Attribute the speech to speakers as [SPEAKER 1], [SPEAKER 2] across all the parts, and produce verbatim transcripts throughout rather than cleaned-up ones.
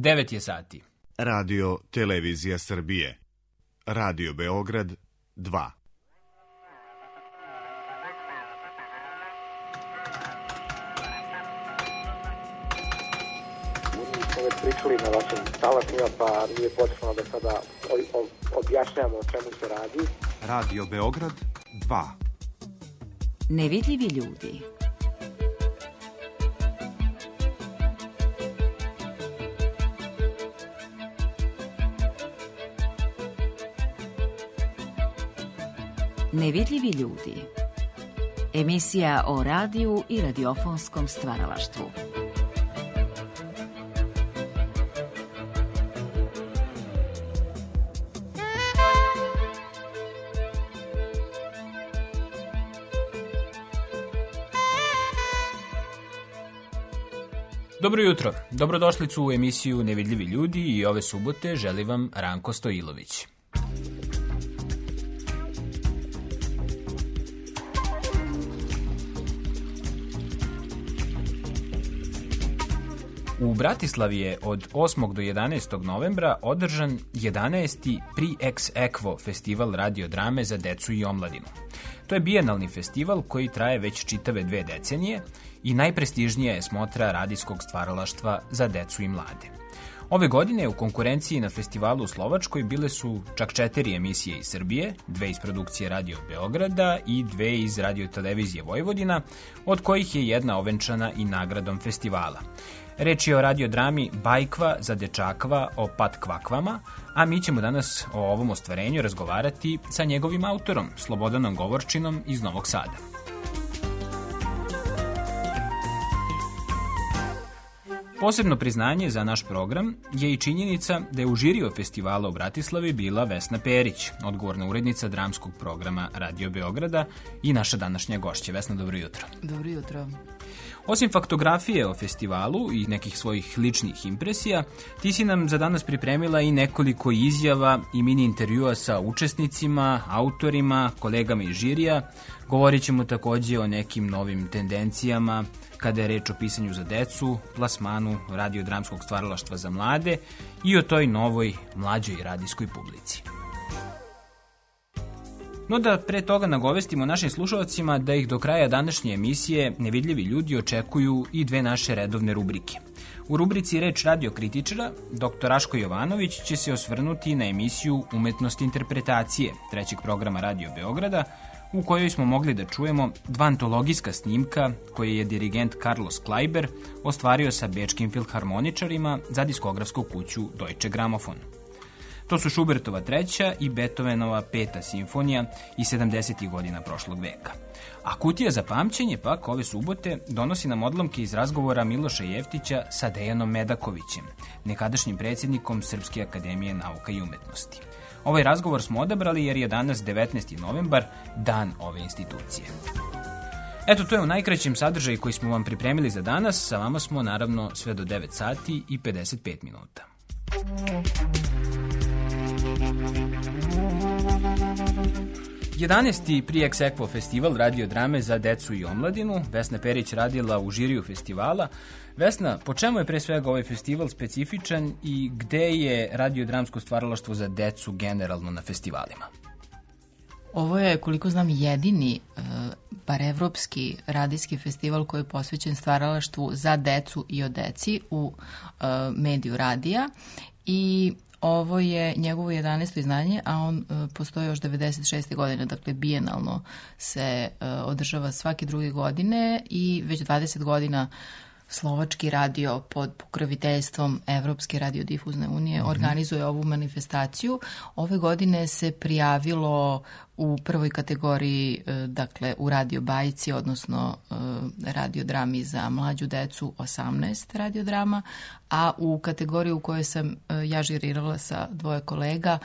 [SPEAKER 1] devet je sati.
[SPEAKER 2] Radio Televizija Srbije. Radio Beograd dva.
[SPEAKER 3] Već pričali na vašim talasima, pa nije potrebno da sada objašnjamo o čemu se radi.
[SPEAKER 2] Radio Beograd dva.
[SPEAKER 4] Nevidljivi ljudi. Nevidljivi ljudi. Emisija o radiju i radiofonskom stvaralaštvu.
[SPEAKER 1] Dobro jutro, dobrodošlicu u emisiju Nevidljivi ljudi i ove subote želi vam Ranko Stojilović. U Bratislavi je od osmog do jedanaestog novembra održan jedanaesti Pri Ex Equo festival radiodrame za decu i omladinu. To je bijenalni festival koji traje već čitave dve decenije i najprestižnija je smotra radijskog stvaralaštva za decu i mlade. Ove godine u konkurenciji na festivalu u Slovačkoj bile su čak četiri emisije iz Srbije, dve iz produkcije Radio Beograda i dve iz Radio Televizije Vojvodina, od kojih je jedna ovenčana i nagradom festivala. Reč je o radiodrami Bajkva za dečakva o patkvakvama, a mi ćemo danas o ovom ostvarenju razgovarati sa njegovim autorom, Slobodanom Govorčinom iz Novog Sada. Posebno priznanje za naš program je i činjenica da je u žiriju festivala u Bratislavi bila Vesna Perić, odgovorna urednica dramskog programa Radio Beograda i naša današnja gošća. Vesna, dobro jutro.
[SPEAKER 5] Dobro jutro.
[SPEAKER 1] Osim faktografije o festivalu i nekih svojih ličnih impresija, ti si nam za danas pripremila i nekoliko izjava i mini intervjua sa učesnicima, autorima, kolegama iz žirija. Govorit ćemo takođe o nekim novim tendencijama kada je reč o pisanju za decu, plasmanu radiodramskog stvaralaštva za mlade i o toj novoj mlađoj radijskoj publici. No da pre toga nagovestimo našim slušalcima da ih do kraja današnje emisije Nevidljivi ljudi očekuju i dve naše redovne rubrike. U rubrici Reč radiokritičara, doktor Raško Jovanović će se osvrnuti na emisiju Umetnost interpretacije trećeg programa Radio Beograda, u kojoj smo mogli da čujemo dva antologijska snimka koje je dirigent Carlos Kleiber ostvario sa bečkim filharmoničarima za diskografsku kuću Deutsche Grammophon. To su Schubertova treća i Beethovenova peta simfonija iz sedamdesetih godina prošlog veka. A kutija za pamćenje pak ove subote donosi nam odlomke iz razgovora Miloša Jeftića sa Dejanom Medakovićem, nekadašnjim predsjednikom Srpske akademije nauka i umetnosti. Ovaj razgovor smo odabrali jer je danas devetnaesti novembar, dan ove institucije. Eto, to je u najkraćem sadržaju koji smo vam pripremili za danas. Sa vama smo naravno sve do devet sati i pedeset pet minuta. jedanaesti Pri Ex Equo festival radiodrame za decu i omladinu. Vesna Perić radila u žiriju festivala. Vesna, po čemu je pre svega ovaj festival specifičan i gde je radiodramsko stvaralaštvo za decu generalno na festivalima?
[SPEAKER 5] Ovo je, koliko znam, jedini, bar evropski radijski festival koji je posvećen stvaralaštvu za decu i o deci u mediju radija i ovo je njegovo jedanaesto izdanje, a on uh, postoji još devedeset šeste godine, dakle bijenalno se uh, održava svake druge godine i već dvadeset godina Slovački radio pod pokroviteljstvom Evropske radiodifuzne unije mm-hmm. organizuje ovu manifestaciju. Ove godine se prijavilo u prvoj kategoriji, dakle u radio bajci, odnosno radiodrami za mlađu decu, osamnaest radiodrama, a u kategoriji u kojoj sam ja žirirala sa dvoje kolega,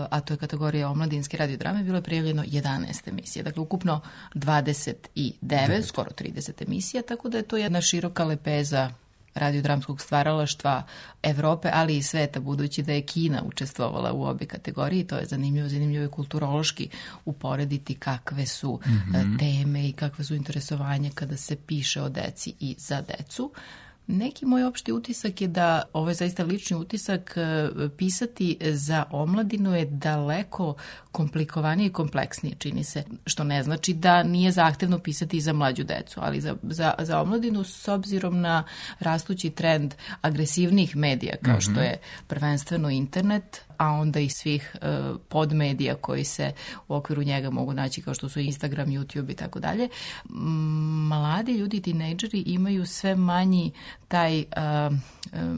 [SPEAKER 5] a to je kategorija omladinske radiodrame, bilo je prijavljeno jedanaest emisija. Dakle, ukupno dvadeset devet, skoro trideset emisija, tako da je to jedna široka lepeza radiodramskog stvaralaštva Evrope, ali i sveta, budući da je Kina učestvovala u obe kategoriji. To je zanimljivo, zanimljivo je kulturološki uporediti kakve su mm-hmm. teme i kakve su interesovanje kada se piše o deci i za decu. Neki moj opšti utisak je da, ovo je zaista lični utisak, pisati za omladinu je daleko komplikovanije i kompleksnije, čini se, što ne znači da nije zahtevno pisati i za mlađu decu, ali za, za, za omladinu s obzirom na rastući trend agresivnih medija, kao što je prvenstveno internet, a onda i svih uh, podmedija koji se u okviru njega mogu naći, kao što su Instagram, YouTube i tako dalje. Mladi ljudi, tinejdžeri imaju sve manji taj uh,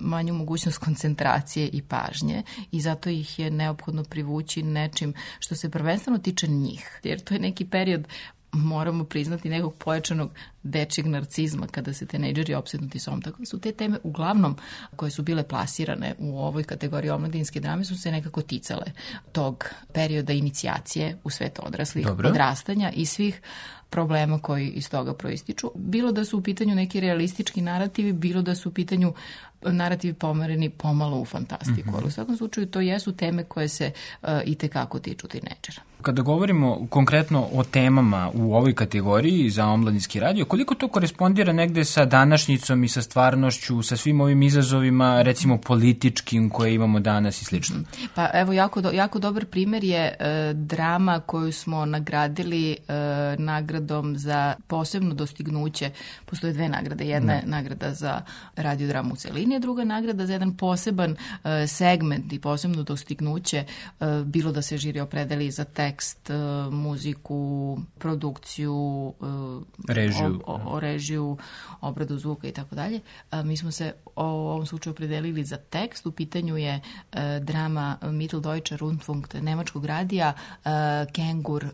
[SPEAKER 5] manju mogućnost koncentracije i pažnje i zato ih je neophodno privući nečim što se prvenstveno tiče njih. Jer to je neki period, moramo priznati, nekog pojačanog dečjeg narcizma kada se tinejdžeri opsednuti s ovom. Tako da su te teme uglavnom koje su bile plasirane u ovoj kategoriji omladinske drame su se nekako ticale tog perioda inicijacije u svet odraslih, Dobro. odrastanja i svih problema koji iz toga proističu. Bilo da su u pitanju neki realistički narativi, bilo da su u pitanju narativi pomereni pomalo u fantastiku, mm-hmm. ali u svakom slučaju to jesu teme koje se uh, i tekako tiču tinejdžera.
[SPEAKER 1] Kada govorimo konkretno o temama u ovoj kategoriji za omladinski radio, koliko to korespondira negde sa današnjicom i sa stvarnošću, sa svim ovim izazovima, recimo političkim koje imamo danas i slično?
[SPEAKER 5] Pa evo, jako, do, jako dobar primjer je e, drama koju smo nagradili e, nagradom za posebno dostignuće. Postoje dve nagrade. Jedna je nagrada za radiodramu u celini, a druga nagrada za jedan poseban e, segment i posebno dostignuće, e, bilo da se žiri opredeli za tekst, muziku, produkciju,
[SPEAKER 1] režiju,
[SPEAKER 5] o, o, o režiju, obradu zvuka i tako dalje. Mi smo se u ovom slučaju opredelili za tekst. U pitanju je uh, drama Mitteldeutscher Rundfunk nemačkog radija uh, Kengur uh,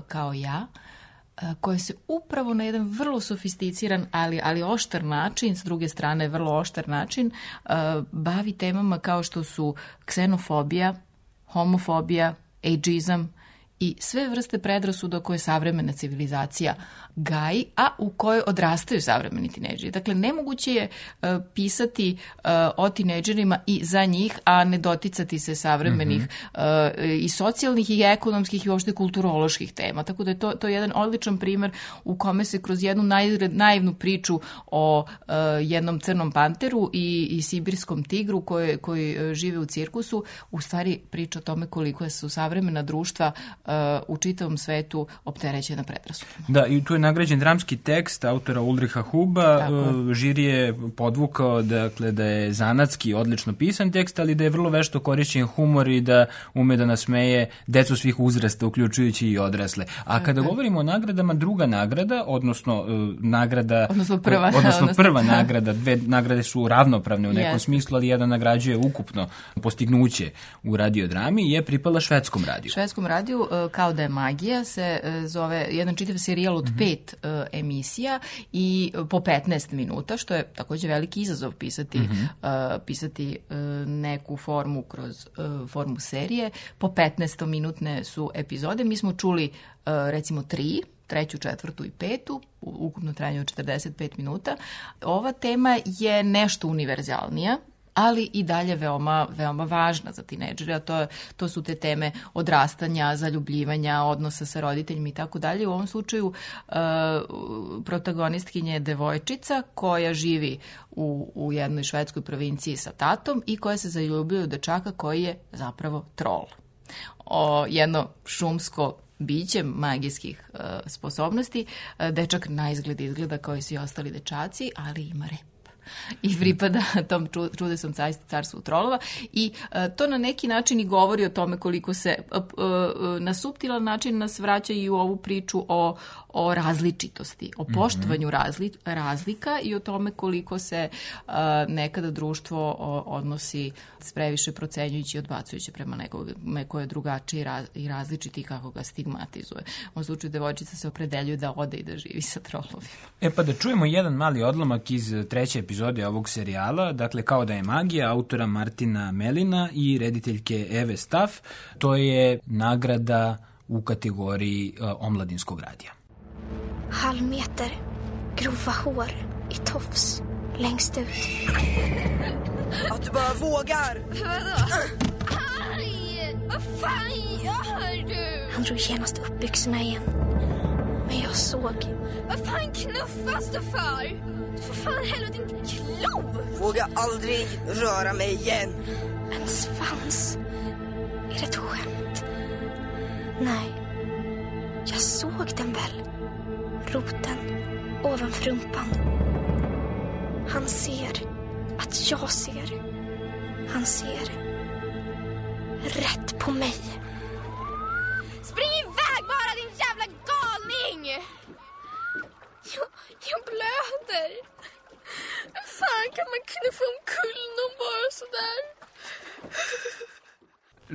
[SPEAKER 5] kao ja, koje se upravo na jedan vrlo sofisticiran, ali, ali oštar način, s druge strane vrlo oštar način, uh, bavi temama kao što su ksenofobija, homofobija, ageizam i sve vrste predrasuda koje savremena civilizacija gaji, a u kojoj odrastaju savremeni tinejdžeri. Dakle, nemoguće je uh, pisati uh, o tinejdžerima i za njih, a ne doticati se savremenih mm-hmm. uh, i socijalnih i ekonomskih i uopšte kulturoloških tema. Tako da je to, to je jedan odličan primer u kome se kroz jednu naivnu, naivnu priču o uh, jednom crnom panteru i, i sibirskom tigru koji, koji uh, žive u cirkusu, u stvari priča o tome koliko su savremena društva uh, u čitavom svetu opterećena predrasudama.
[SPEAKER 1] Da, i tu je nagrađen dramski tekst autora Ulricha Huba. Žiri je podvukao dakle, da je zanatski odlično pisan tekst, ali da je vrlo vešto korišćen humor i da ume da nasmeje decu svih uzrasta, uključujući i odrasle. A kada Tako. govorimo o nagradama, druga nagrada, odnosno uh, nagrada...
[SPEAKER 5] Odnosno prva.
[SPEAKER 1] Odnosno prva nagrada, dve nagrade su ravnopravne u nekom yes. smislu, ali jedan nagrađuje ukupno postignuće u radiodrami, je pripala švedskom radiju.
[SPEAKER 5] Švedskom radiju, uh, kao da je magija, se uh, zove jedan čitav serijal od mm-hmm. pet Uh, emisija i po petnaest minuta, što je takođe veliki izazov pisati, mm-hmm. uh, pisati uh, neku formu kroz uh, formu serije. Po petnaestominutne su epizode. Mi smo čuli uh, recimo tri, treću, četvrtu i petu, ukupno trajanje od četrdeset pet minuta. Ova tema je nešto univerzalnija, ali i dalje veoma, veoma važna za tinejdžere, a to, to su te teme odrastanja, zaljubljivanja, odnosa sa roditeljima i tako dalje. U ovom slučaju uh, protagonistkinja je devojčica koja živi u, u jednoj švedskoj provinciji sa tatom i koja se zaljubljuje u dečaka koji je zapravo trol. O, jedno šumsko biće magijskih uh, sposobnosti. Uh, dečak na izgled izgleda kao i svi ostali dečaci, ali ima rep. I pripada tom čudesnom carstvu trolova i uh, to na neki način i govori o tome koliko se uh, uh, na suptilan način nas vraća i u ovu priču o, o različitosti, o poštovanju razli, razlika i o tome koliko se uh, nekada društvo o, odnosi s previše procenjujući i odbacujući prema nekog ko je drugačiji i, raz, i različiti i kako ga stigmatizuje. U ovom slučaju devojčica se opredeljuje da ode i da živi sa trolovima.
[SPEAKER 1] E pa da čujemo jedan mali odlomak iz treće epizode ovog serijala, dakle Kao da je magija, autora Martina Melina i rediteljke Eve Staff. To je nagrada u kategoriji uh, omladinskog radija.
[SPEAKER 6] Halv meter, grova hår i tofs, längst ut.
[SPEAKER 7] Att du bara vågar!
[SPEAKER 6] Vadå? Aj! Vad fan gör du? Han drog genast upp byxorna igen. Men jag såg. Vad fan knuffas du för? För fan helvete inte klo!
[SPEAKER 7] Våga aldrig röra mig igen.
[SPEAKER 6] En svans. Är det ett skämt? Nej. Jag såg den väl. Roten ovanför rumpan. Han ser att jag ser. Han ser rätt på mig. Spring iväg bara, din jävla galning! Jag, jag blöder. Hur fan kan man kunna få omkull någon bara sådär?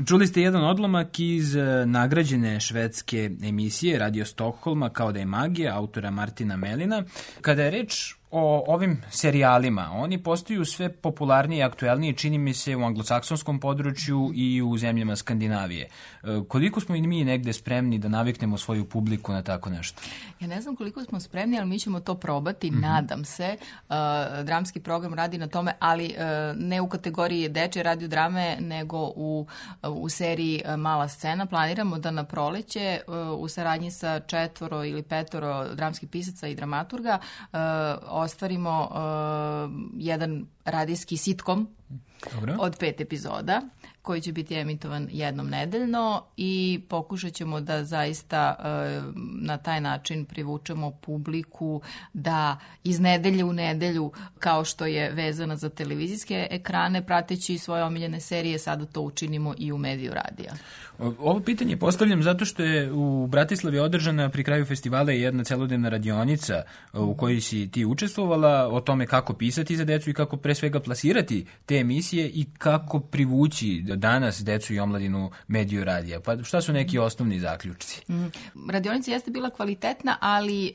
[SPEAKER 1] Čuli ste jedan odlomak iz nagrađene švedske emisije Radio Stockholma Kao da je magija, autora Martina Melina. Kada je reč o ovim serijalima, oni postaju sve popularniji i aktuelniji, čini mi se, u anglosaksonskom području i u zemljama Skandinavije. Koliko smo i mi negde spremni da naviknemo svoju publiku na tako nešto?
[SPEAKER 5] Ja ne znam koliko smo spremni, ali mi ćemo to probati, mm-hmm. nadam se. Uh, dramski program radi na tome, ali uh, ne u kategoriji dečje radiodrame, nego u, u seriji Mala scena. Planiramo da na proleće uh, u saradnji sa četvoro ili petoro dramskih pisaca i dramaturga uh, ostvarimo uh, jedan radijski sitkom Dobro. Od pet epizoda koji će biti emitovan jednom nedeljno i pokušat ćemo da zaista uh, na taj način privučemo publiku da iz nedelje u nedelju, kao što je vezana za televizijske ekrane, prateći svoje omiljene serije, sada to učinimo i u mediju radija.
[SPEAKER 1] Ovo pitanje postavljam zato što je u Bratislavi održana pri kraju festivala jedna celodnevna radionica u kojoj si ti učestvovala o tome kako pisati za decu i kako pre svega plasirati te emisije i kako privući danas decu i omladinu mediju radija. Pa šta su neki osnovni zaključci?
[SPEAKER 5] Mm. Radionica jeste bila kvalitetna, ali e,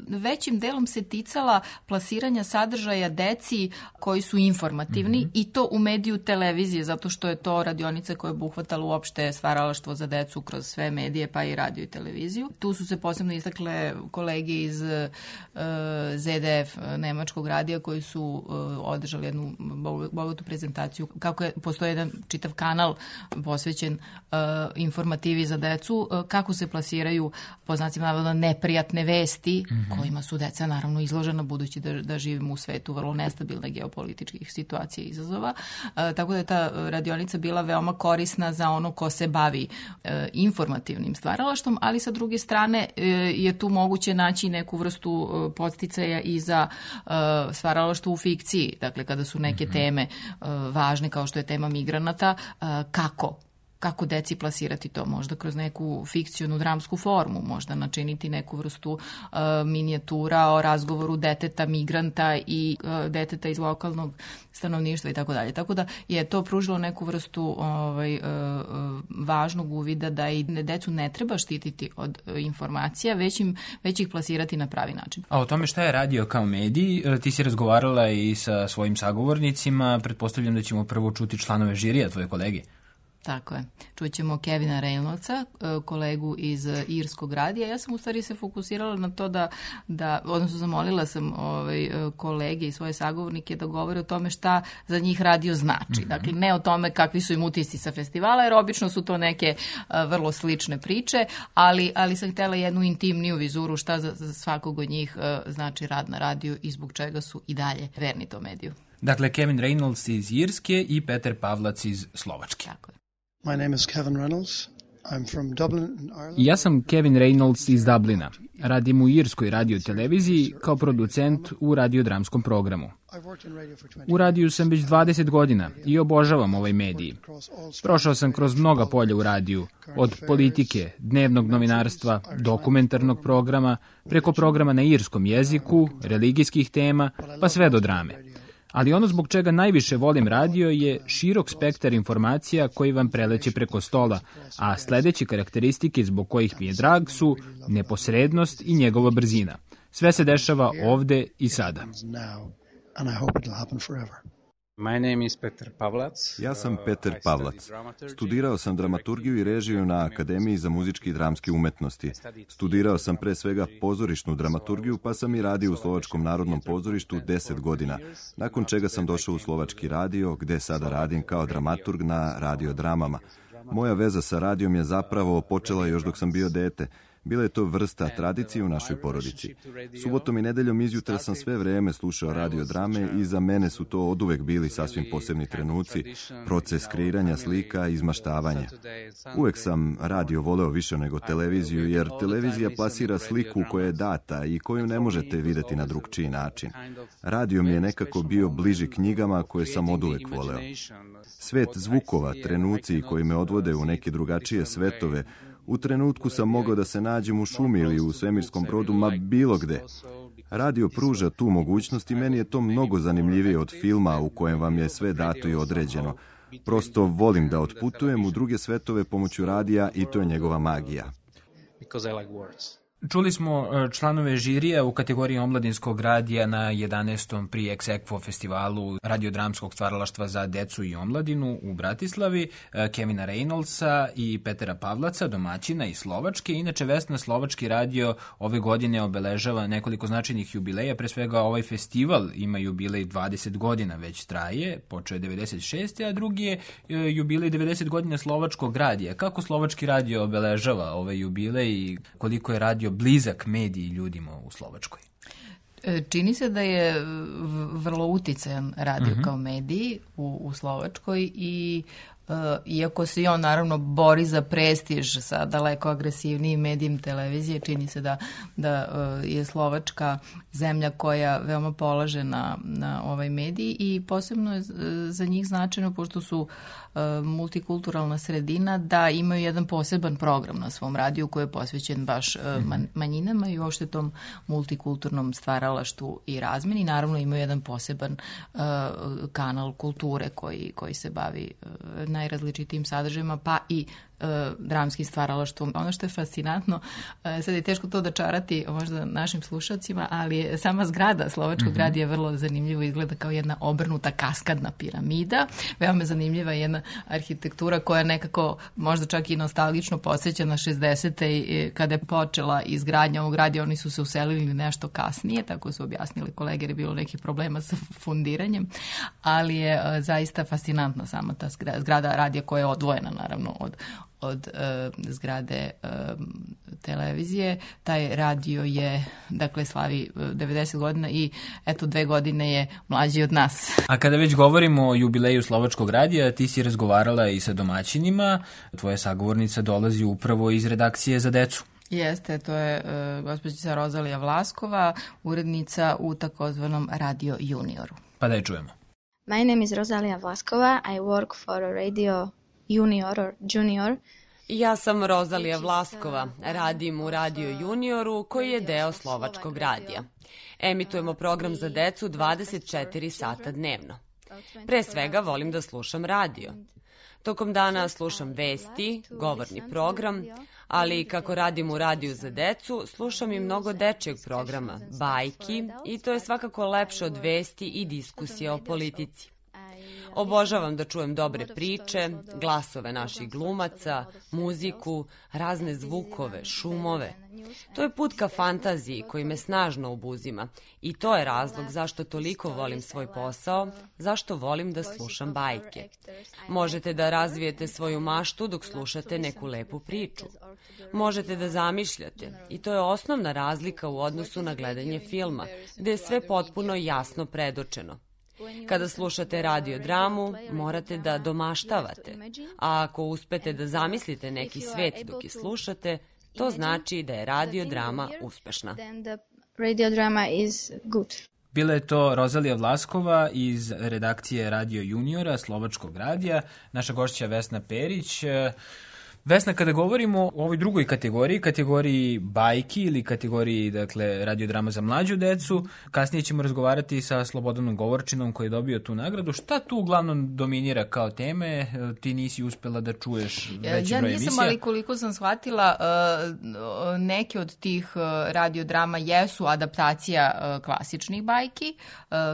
[SPEAKER 5] većim delom se ticala plasiranja sadržaja deci koji su informativni mm-hmm. i to u mediju televizije, zato što je to radionica koja je obuhvatala uopšte stvaralaštvo za decu kroz sve medije, pa i radio i televiziju. Tu su se posebno istakle kolege iz e, Z D F nemačkog radija koji su e, održali jednu bogatu prezentaciju kako je, postoji jedan čitav kanal posvećen uh, informativi za decu, uh, kako se plasiraju po znacima navoda neprijatne vesti mm-hmm. kojima su deca naravno izložena, budući da, da živimo u svetu vrlo nestabilne geopolitičkih situacija i izazova. Uh, tako da je ta radionica bila veoma korisna za ono ko se bavi uh, informativnim stvaralaštvom, ali sa druge strane uh, je tu moguće naći neku vrstu uh, podsticaja i za uh, stvaralaštvo u fikciji. Dakle, kada su neke mm-hmm. teme uh, važne, kao što je tema migranata, kako kako deci plasirati to, možda kroz neku fikcionu dramsku formu, možda načiniti neku vrstu uh, minijatura o razgovoru deteta migranta i uh, deteta iz lokalnog stanovništva i tako dalje. Tako da je to pružilo neku vrstu ovaj, uh, važnog uvida da i decu ne treba štititi od uh, informacija, već, im, već ih plasirati na pravi način.
[SPEAKER 1] A o tome šta je radio kao medij, ti si razgovarala i sa svojim sagovornicima, pretpostavljam da ćemo prvo čuti članove žirija, tvoje kolege.
[SPEAKER 5] Tako je. Čućemo Kevina Reynoldsa, kolegu iz irskog radija. Ja sam u stvari se fokusirala na to da, da odnosno zamolila sam ovaj, kolege i svoje sagovornike da govore o tome šta za njih radio znači. Mm-hmm. Dakle, ne o tome kakvi su im utisci sa festivala, jer obično su to neke uh, vrlo slične priče, ali, ali sam htjela jednu intimniju vizuru šta za, za svakog od njih uh, znači rad na radiju i zbog čega su i dalje verni tom mediju.
[SPEAKER 1] Dakle, Kevin Reynolds iz Irske i Peter Pavlac iz Slovačke.
[SPEAKER 5] Tako je.
[SPEAKER 8] My name is Kevin Reynolds. I'm from Dublin in Ireland.
[SPEAKER 1] Ja sam Kevin Reynolds iz Dublina. Radim u irskoj radio televiziji kao producent u radiodramskom programu. U radiju sam već dvadeset godina i obožavam ovaj medij. Prošao sam kroz mnoga polja u radiju, od politike, dnevnog novinarstva, dokumentarnog programa, preko programa na irskom jeziku, religijskih tema, pa sve do drame. Ali ono zbog čega najviše volim radio je širok spektar informacija koji vam preleće preko stola, a sledeće karakteristike zbog kojih mi je drag su neposrednost i njegova brzina. Sve se dešava ovde i sada.
[SPEAKER 9] My name is Peter Pavlac.
[SPEAKER 10] Ja sam Peter Pavlac. Studirao sam dramaturgiju i režiju na Akademiji za muzičke i dramske umetnosti. Studirao sam pre svega pozorišnu dramaturgiju, pa sam i radio u Slovačkom narodnom pozorištu deset godina, nakon čega sam došao u Slovački radio, gde sada radim kao dramaturg na radiodramama. Moja veza sa radijom je zapravo počela još dok sam bio dete. Bila je to vrsta tradicije u našoj porodici. Subotom i nedeljom izjutra sam sve vreme slušao radio drame i za mene su to oduvek bili sasvim posebni trenuci, proces kreiranja slika i izmaštavanja. Uvek sam radio voleo više nego televiziju, jer televizija plasira sliku koja je data i koju ne možete videti na drugčiji način. Radio mi je nekako bio bliži knjigama koje sam oduvek voleo. Svet zvukova, trenuci koji me odvode u neke drugačije svetove, u trenutku sam mogao da se nađem u šumi ili u svemirskom brodu, ma bilo gde. Radio pruža tu mogućnost i meni je to mnogo zanimljivije od filma u kojem vam je sve dato i određeno. Prosto volim da otputujem u druge svetove pomoću radija i to je njegova magija.
[SPEAKER 1] Čuli smo članove žirija u kategoriji omladinskog radija na jedanaestom Pri Ex Aequo festivalu radiodramskog stvaralaštva za decu i omladinu u Bratislavi, Kevina Reynoldsa i Petera Pavlaca, domaćina iz Slovačke. Inače, Vesna, slovački radio ove godine obeležava nekoliko značajnih jubileja. Pre svega, ovaj festival ima jubilej dvadeset godina, već traje, počeo je devedeset šeste. a drugi je jubilej devedeset godina slovačkog radija. Kako slovački radio obeležava ovaj jubilej i koliko je radio blizak mediji ljudima u Slovačkoj?
[SPEAKER 5] Čini se da je vrlo uticajan radio
[SPEAKER 1] Mm-hmm.
[SPEAKER 5] kao mediji u, u Slovačkoj i uh, iako se i on naravno bori za prestiž sa daleko agresivnijim medijem televizije, čini se da, da uh, je Slovačka zemlja koja veoma polaže na, na ovaj medij i posebno je za njih značajno, pošto su uh, multikulturalna sredina, da imaju jedan poseban program na svom radiju koji je posvećen baš uh, man, manjinama i uopšte tom multikulturnom stvaralaštvu i razmeni. Naravno imaju jedan poseban uh, kanal kulture koji, koji se bavi uh, najrazličitijim sadržajima, pa i uh, dramskim stvaralaštvom. Ono što je fascinantno, uh, sad je teško to dočarati možda našim slušalcima, ali je sama zgrada Slovačkog mm-hmm. radija vrlo zanimljivo, izgleda kao jedna obrnuta kaskadna piramida. Veoma zanimljiva je jedna arhitektura koja nekako možda čak i nostalgično podsjeća na šezdesete kada je počela izgradnja ovog radija. Oni su se uselili nešto kasnije, tako su objasnili kolege, jer je bilo nekih problema sa fundiranjem, ali je uh, zaista fascinantna sama ta zgrada, zgrada radija koja je odvojena naravno od od uh, zgrade uh, televizije. Taj radio je, dakle, slavi uh, devedeset godina i eto dve godine je mlađi od nas.
[SPEAKER 1] A kada već govorimo o jubileju Slovačkog radija, ti si razgovarala i sa domaćinima. Tvoja sagovornica dolazi upravo iz redakcije za decu.
[SPEAKER 5] Jeste, to je uh, gospođica Rozalija Vlaskova, urednica u takozvanom Radio Junioru.
[SPEAKER 1] Pa da je čujemo.
[SPEAKER 11] My name is Rosalia Vlaskova. I work for a radio Junior or Junior.
[SPEAKER 12] Ja sam Rozalija Vlaskova, radim u Radio Junioru koji je deo Slovačkog radija. Emitujemo program za decu dvadeset četiri sata dnevno. Pre svega volim da slušam radio. Tokom dana slušam vesti, govorni program, ali kako radim u radiju za decu, slušam i mnogo dečjeg programa, bajki, i to je svakako lepše od vesti i diskusije o politici. Obožavam da čujem dobre priče, glasove naših glumaca, muziku, razne zvukove, šumove. To je put ka fantaziji koji me snažno obuzima i to je razlog zašto toliko volim svoj posao, zašto volim da slušam bajke. Možete da razvijete svoju maštu dok slušate neku lepu priču. Možete da zamišljate i to je osnovna razlika u odnosu na gledanje filma, gde je sve potpuno jasno predočeno. Kada slušate radiodramu, morate da domaštavate, a ako uspete da zamislite neki svet dok je slušate, to znači da je radiodrama uspešna.
[SPEAKER 11] Radiodrama is good.
[SPEAKER 1] Bila je to Rozalija Vlaskova iz redakcije Radio Juniora, Slovačkog radija, naša gošća Vesna Perić. Vesna, kada govorimo o ovoj drugoj kategoriji, kategoriji bajki ili kategoriji, dakle, radiodrama za mlađu decu, kasnije ćemo razgovarati sa Slobodanom Govorčinom koji je dobio tu nagradu. Šta tu uglavnom dominira kao teme? Ti nisi uspela da čuješ veći broj emisija?
[SPEAKER 5] Ja nisam, ali koliko sam shvatila, neke od tih radiodrama jesu adaptacija klasičnih bajki,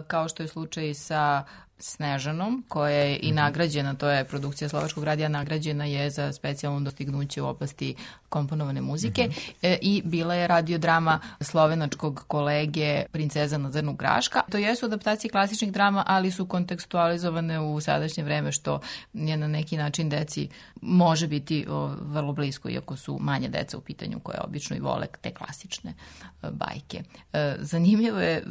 [SPEAKER 5] kao što je slučaj sa Snežanom, koja je i nagrađena, to je produkcija Slovačkog radija, nagrađena je za specijalno dostignuće u oblasti komponovane muzike mm-hmm. e, i bila je radiodrama slovenačkog kolege Princeza na zrnu graška. To jesu adaptacije klasičnih drama, ali su kontekstualizovane u sadašnje vreme, što je na neki način deci može biti o, vrlo blisko, iako su manje deca u pitanju koje obično i vole te klasične e, bajke. E, zanimljivo je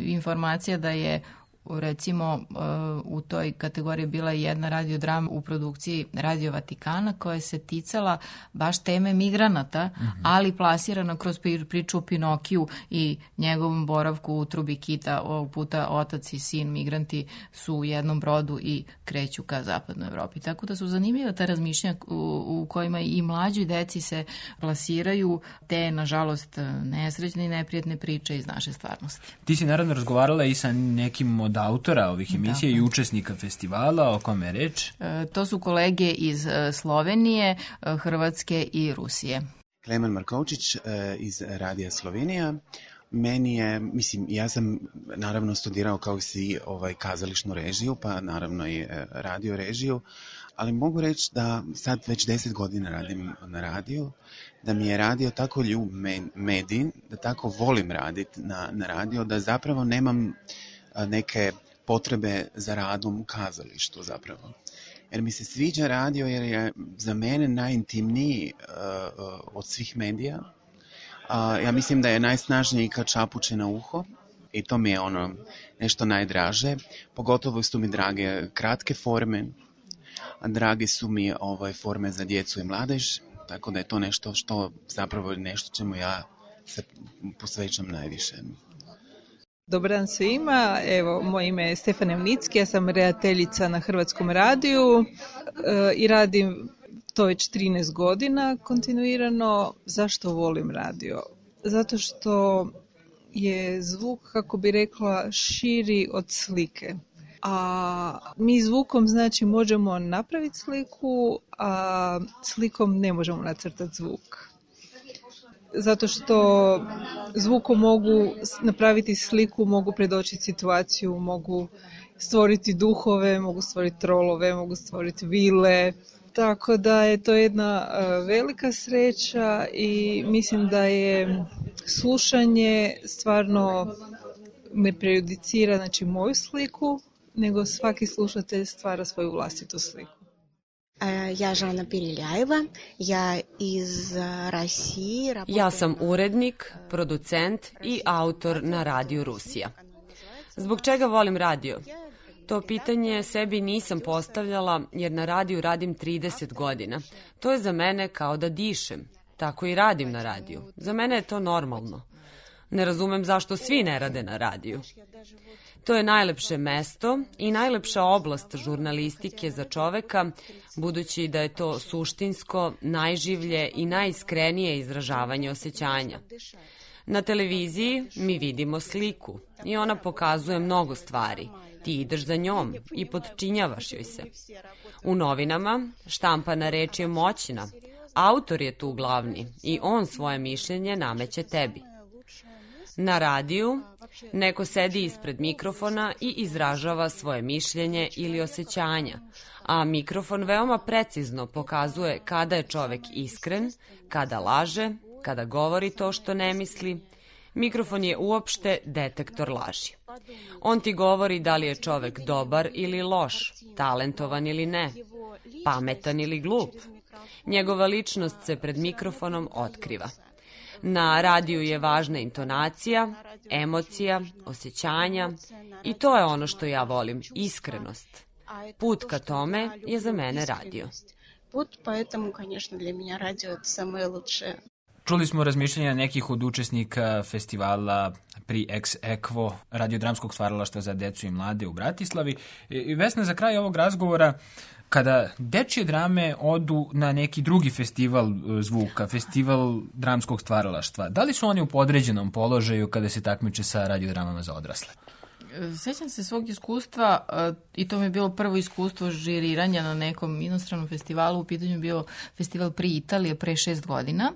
[SPEAKER 5] informacija da je recimo u toj kategoriji bila jedna radiodrama u produkciji Radio Vatikana koja se ticala baš teme migranata, mm-hmm. ali plasirana kroz priču o Pinokiju i njegovom boravku u trubi kita. Ovog puta otac i sin migranti su u jednom brodu i kreću ka zapadnoj Evropi. Tako da su zanimljiva ta razmišljanja u, u kojima i mlađi deci se plasiraju te, nažalost, nesrećne i neprijatne priče iz naše stvarnosti.
[SPEAKER 1] Ti si naravno razgovarala i sa nekim od autora ovih emisija i učesnika festivala, o kome je reč?
[SPEAKER 5] E, to su kolege iz Slovenije, Hrvatske i Rusije.
[SPEAKER 13] Klemen Markovčić e, iz Radija Slovenija. Meni je, mislim, ja sam naravno studirao kao i svi ovaj, kazališnu režiju, pa naravno i e, radio režiju, ali mogu reći da sad već deset godina radim na radiju, da mi je radio tako ljub medij, da tako volim raditi na, na radio, da zapravo nemam neke potrebe za radom u kazalištu zapravo. Jer mi se sviđa radio jer je za mene najintimniji uh, uh, od svih medija. Uh, ja mislim da je najsnažniji kad čapuće na uho i to mi je ono nešto najdraže. Pogotovo su mi drage kratke forme, a drage su mi ovaj, forme za djecu i mladež, tako da je to nešto što zapravo je nešto čemu ja se posvećam najviše.
[SPEAKER 14] Dobar dan svima, evo, moje ime je Stefana Evnicki, ja sam redateljica na Hrvatskom radiju e, i radim to već trinaest godina kontinuirano. Zašto volim radio? Zato što je zvuk, kako bi rekla, širi od slike. A mi zvukom znači možemo napraviti sliku, a slikom ne možemo nacrtati zvuk. Zato što zvukom mogu napraviti sliku, mogu predočiti situaciju, mogu stvoriti duhove, mogu stvoriti trolove, mogu stvoriti vile. Tako da je to jedna velika sreća i mislim da je slušanje stvarno ne prejudicira znači, moju sliku, nego svaki slušatelj stvara svoju vlastitu sliku.
[SPEAKER 15] Ja Žana Piriljajeva, ja iz Rusije.
[SPEAKER 12] Ja sam urednik, producent i autor na Radiju Rusija. Zbog čega volim radio? To pitanje sebi nisam postavljala jer na radiju radim trideset godina. To je za mene kao da dišem. Tako i radim na radiju. Za mene je to normalno. Ne razumem zašto svi ne rade na radiju. To je najlepše mesto i najlepša oblast žurnalistike za čoveka, budući da je to suštinsko, najživlje i najiskrenije izražavanje osjećanja. Na televiziji mi vidimo sliku i ona pokazuje mnogo stvari. Ti ideš za njom i podčinjavaš joj se. U novinama štampana reč je moćna. Autor je tu glavni i on svoje mišljenje nameće tebi. Na radiju neko sedi ispred mikrofona i izražava svoje mišljenje ili osjećanja, a mikrofon veoma precizno pokazuje kada je čovek iskren, kada laže, kada govori to što ne misli. Mikrofon je uopšte detektor laži. On ti govori da li je čovek dobar ili loš, talentovan ili ne, pametan ili glup. Njegova ličnost se pred mikrofonom otkriva. Na radiju je važna intonacija, emocija, osjećanja i to je ono što ja volim, iskrenost. Put ka tome je za mene radio.
[SPEAKER 15] Put, поэтому, конечно, для меня радио это самое лучшее.
[SPEAKER 1] Čuli smo razmišljanja nekih od učesnika festivala pri Ex Equo radiodramskog stvaralaštva za decu i mlade u Bratislavi. I Vesna, za kraj ovog razgovora, kada dečje drame odu na neki drugi festival zvuka, festival dramskog stvaralaštva, da li su oni u podređenom položaju kada se takmiče sa radiodramama za odrasle?
[SPEAKER 5] Sećam se svog iskustva i to mi je bilo prvo iskustvo žiriranja na nekom inostranom festivalu. U pitanju je bio festival pri Italije pre šest godina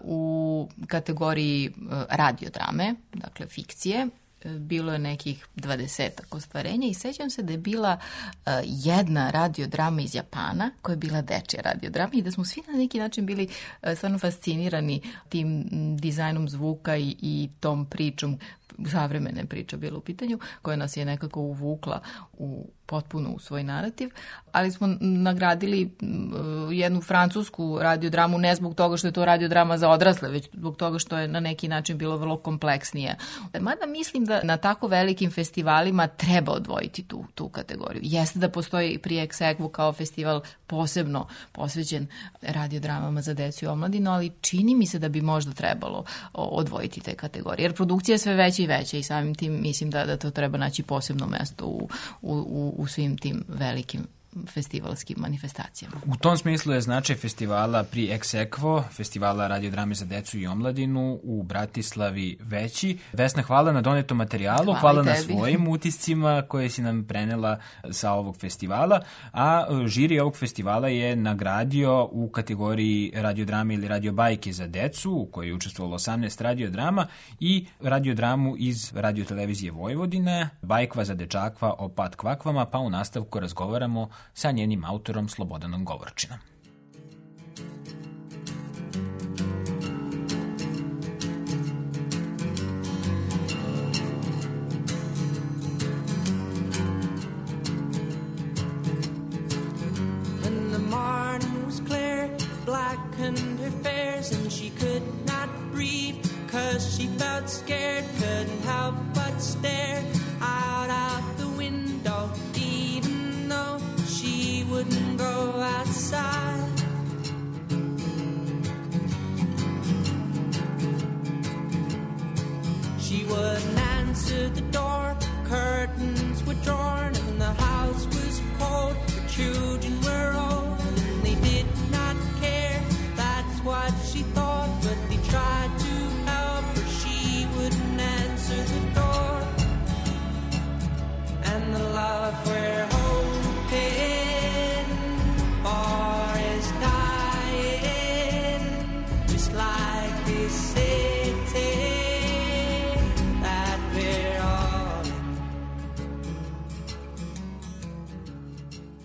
[SPEAKER 5] u kategoriji radiodrame, dakle fikcije. bilo je nekih dvadesetak ostvarenja i sećam se da je bila uh, jedna radiodrama iz Japana koja je bila dečja radiodrama i da smo svi na neki način bili uh, stvarno fascinirani tim dizajnom zvuka i, i tom pričom, savremene priča bila u pitanju, koja nas je nekako uvukla u potpuno u svoj narativ, ali smo nagradili uh, jednu francusku radiodramu ne zbog toga što je to radiodrama za odrasle, već zbog toga što je na neki način bilo vrlo kompleksnije. Mada mislim da na tako velikim festivalima treba odvojiti tu, tu kategoriju. Jeste da postoji pri ex aequo kao festival posebno posvećen radiodramama za decu i omladinu, ali čini mi se da bi možda trebalo odvojiti te kategorije. Jer produkcija je sve veća i veća i samim tim mislim da, da to treba naći posebno mesto u, u, u svim tim velikim festivalskim manifestacijama.
[SPEAKER 1] U tom smislu je značaj festivala pri ex aequo, festivala radiodrame za decu i omladinu u Bratislavi veći. Vesna, hvala na donetom materijalu, hvala, hvala na svojim utiscima koje si nam prenela sa ovog festivala, a žiri ovog festivala je nagradio u kategoriji radiodrame ili radiobajke za decu, u kojoj je učestvovalo osamnaest radiodrama i radiodramu iz radiotelevizije Vojvodine, Bajkva za dečakva o pat kvakvama, pa u nastavku razgovaramo sa njenim autorom Slobodanom Govorčinom.
[SPEAKER 16] When the morning was clear, blackened her fares and she could not breathe, 'cause she felt scared, couldn't help but stare out of the window, even though she wouldn't go outside. She wouldn't answer the door, curtains were drawn and the house was cold, her children were old and they did not care, that's what she thought, but they tried to help her, she wouldn't answer the door. And the love we're hoping for is dying, just like this city that we're all in.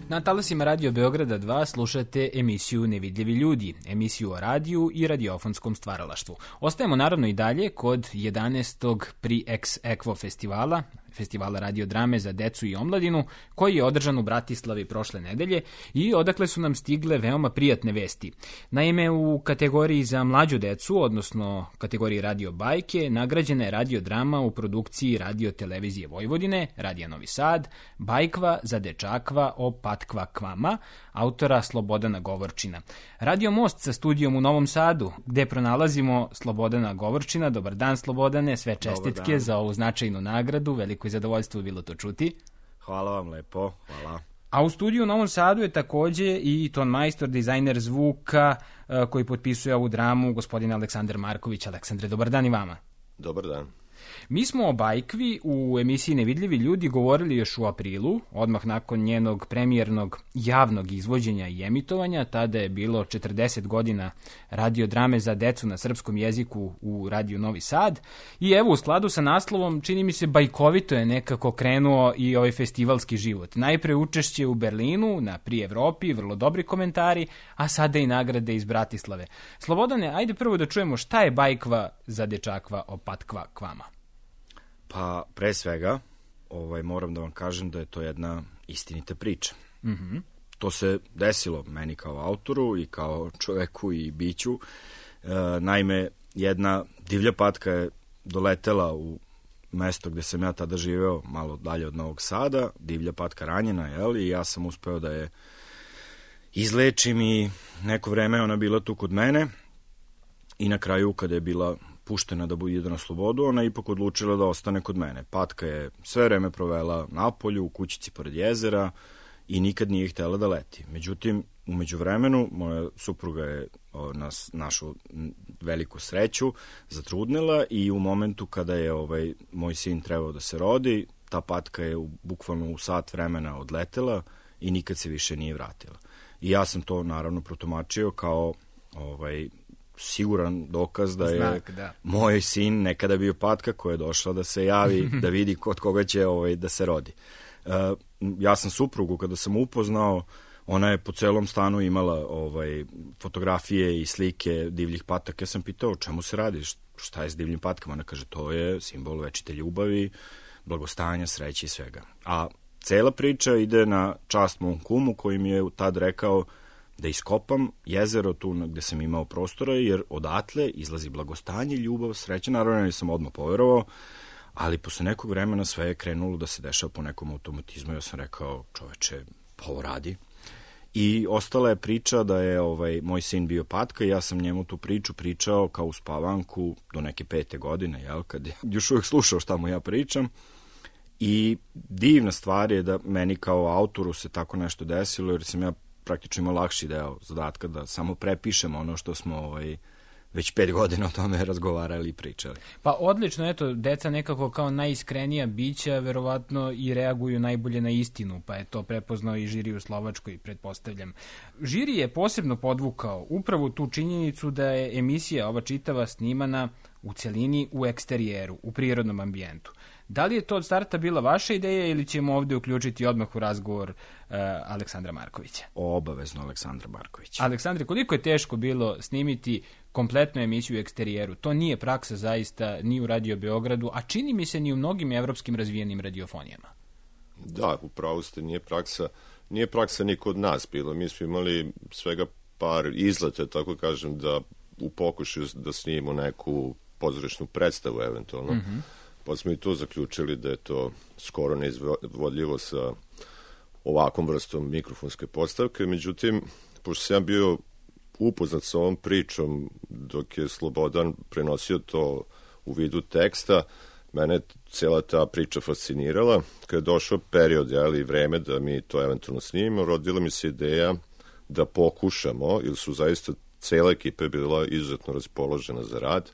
[SPEAKER 1] Na talasima Radio Beograda dva slušate emisiju Nevidljivi ljudi, emisiju o radiju i radiofonskom stvaralaštvu. Ostajemo naravno i dalje kod jedanaestog pri ex aequo festivala, festivala radiodrame za decu i omladinu, koji je održan u Bratislavi prošle nedelje i odakle su nam stigle veoma prijatne vesti. Naime, u kategoriji za mlađu decu, odnosno kategoriji radio bajke, nagrađena je radiodrama u produkciji radiotelevizije Vojvodine, Radija Novi Sad, Bajkva za dečakva o pat kvakvama, autora Slobodana Govorčina. Radio Most sa studijom u Novom Sadu, gde pronalazimo Slobodana Govorčina. Dobar dan, Slobodane, sve čestitke za ovu značajnu nagradu, veliko i zadovoljstvo je bilo to čuti.
[SPEAKER 17] Hvala vam lepo, hvala.
[SPEAKER 1] A u studiju u Novom Sadu je takođe i ton majstor, dizajner zvuka koji potpisuje ovu dramu, gospodin Aleksandar Marković. Aleksandre, dobar dan i vama.
[SPEAKER 17] Dobar dan.
[SPEAKER 1] Mi smo o Bajkvi u emisiji Nevidljivi ljudi govorili još u aprilu, odmah nakon njenog premijernog javnog izvođenja i emitovanja. Tada je bilo četrdeset godina radiodrame za decu na srpskom jeziku u Radiju Novi Sad. I evo, u skladu sa naslovom, čini mi se bajkovito je nekako krenuo i ovaj festivalski život. Najpre učešće u Berlinu, na Pri Evropi, vrlo dobri komentari, a sada i nagrade iz Bratislave. Slobodane, ajde prvo da čujemo šta je Bajkva za dečakva o pat kvakvama.
[SPEAKER 17] Pa, pre svega, ovaj, moram da vam kažem da je to jedna istinita priča.
[SPEAKER 1] Mm-hmm.
[SPEAKER 17] To se desilo meni kao autoru i kao čoveku i biću. E, naime, jedna divlja patka je doletela u mesto gde sam ja tada živeo, malo dalje od Novog Sada. Divlja patka ranjena, jel? I ja sam uspeo da je izlečim i neko vreme ona bila tu kod mene. I na kraju, kada je bila puštena da bude na slobodu, ona je ipak odlučila da ostane kod mene. Patka je sve vreme provela napolju, u kućici pored jezera i nikad nije htjela da leti. Međutim, u međuvremenu, moja supruga je o, nas, našu veliku sreću zatrudnila i u momentu kada je ovaj moj sin trebao da se rodi, ta patka je u, bukvalno u sat vremena odletela i nikad se više nije vratila. I ja sam to naravno protumačio kao ovaj siguran dokaz da je
[SPEAKER 1] Znak, da.
[SPEAKER 17] moj sin nekada bio patka koja je došla da se javi, da vidi kod koga će ovaj, da se rodi. Uh, ja sam suprugu, kada sam upoznao, ona je po celom stanu imala ovaj, fotografije i slike divljih pataka. Ja sam pitao o čemu se radi, šta je s divljim patkama? Ona kaže, to je simbol večite ljubavi, blagostanja, sreće i svega. A cela priča ide na čast mom kumu koji mi je tad rekao da iskopam jezero tu gde sam imao prostora, jer odatle izlazi blagostanje, ljubav, sreća. Naravno, nisam odmah poverovao, ali posle nekog vremena sve je krenulo da se dešava po nekom automatizmu. Ja sam rekao, čoveče, pa ovo radi. I ostala je priča da je ovaj moj sin bio patka i ja sam njemu tu priču pričao kao uspavanku do neke pete godine, jel, kad je još uvijek slušao šta mu ja pričam. I divna stvar je da meni kao autoru se tako nešto desilo, jer sam ja praktično imao lakši deo zadatka da samo prepišem ono što smo ovaj, već pet godina o tome razgovarali i pričali.
[SPEAKER 1] Pa odlično, eto, deca nekako kao najiskrenija bića verovatno i reaguju najbolje na istinu, pa je to prepoznao i žiri u Slovačkoj, pretpostavljam. Žiri je posebno podvukao upravo tu činjenicu da je emisija ova čitava snimana u celini u eksterijeru, u prirodnom ambijentu. Da li je to od starta bila vaša ideja ili ćemo ovde uključiti odmah u razgovor uh, Aleksandra Markovića?
[SPEAKER 17] Obavezno Aleksandra Markovića.
[SPEAKER 1] Aleksandre, koliko je teško bilo snimiti kompletnu emisiju u eksterijeru? To nije praksa zaista ni u Radio Beogradu, a čini mi se ni u mnogim evropskim razvijenim radiofonijama.
[SPEAKER 18] Da, upravo ste, nije praksa, nije praksa ni kod nas bilo. Mi smo imali svega par izleta, tako kažem, da u pokušaju da snimimo neku pozorišnu predstavu eventualno. Mm-hmm. Pa smo i to zaključili da je to skoro neizvodljivo sa ovakvom vrstom mikrofonske postavke. Međutim, pošto sam bio upoznat sa ovom pričom dok je Slobodan prenosio to u vidu teksta, mene cijela ta priča fascinirala. Kad je došao period, jeli, vreme da mi to eventualno snimimo, rodila mi se ideja da pokušamo, jer su zaista cijela ekipa je bila izuzetno raspoložena za rad,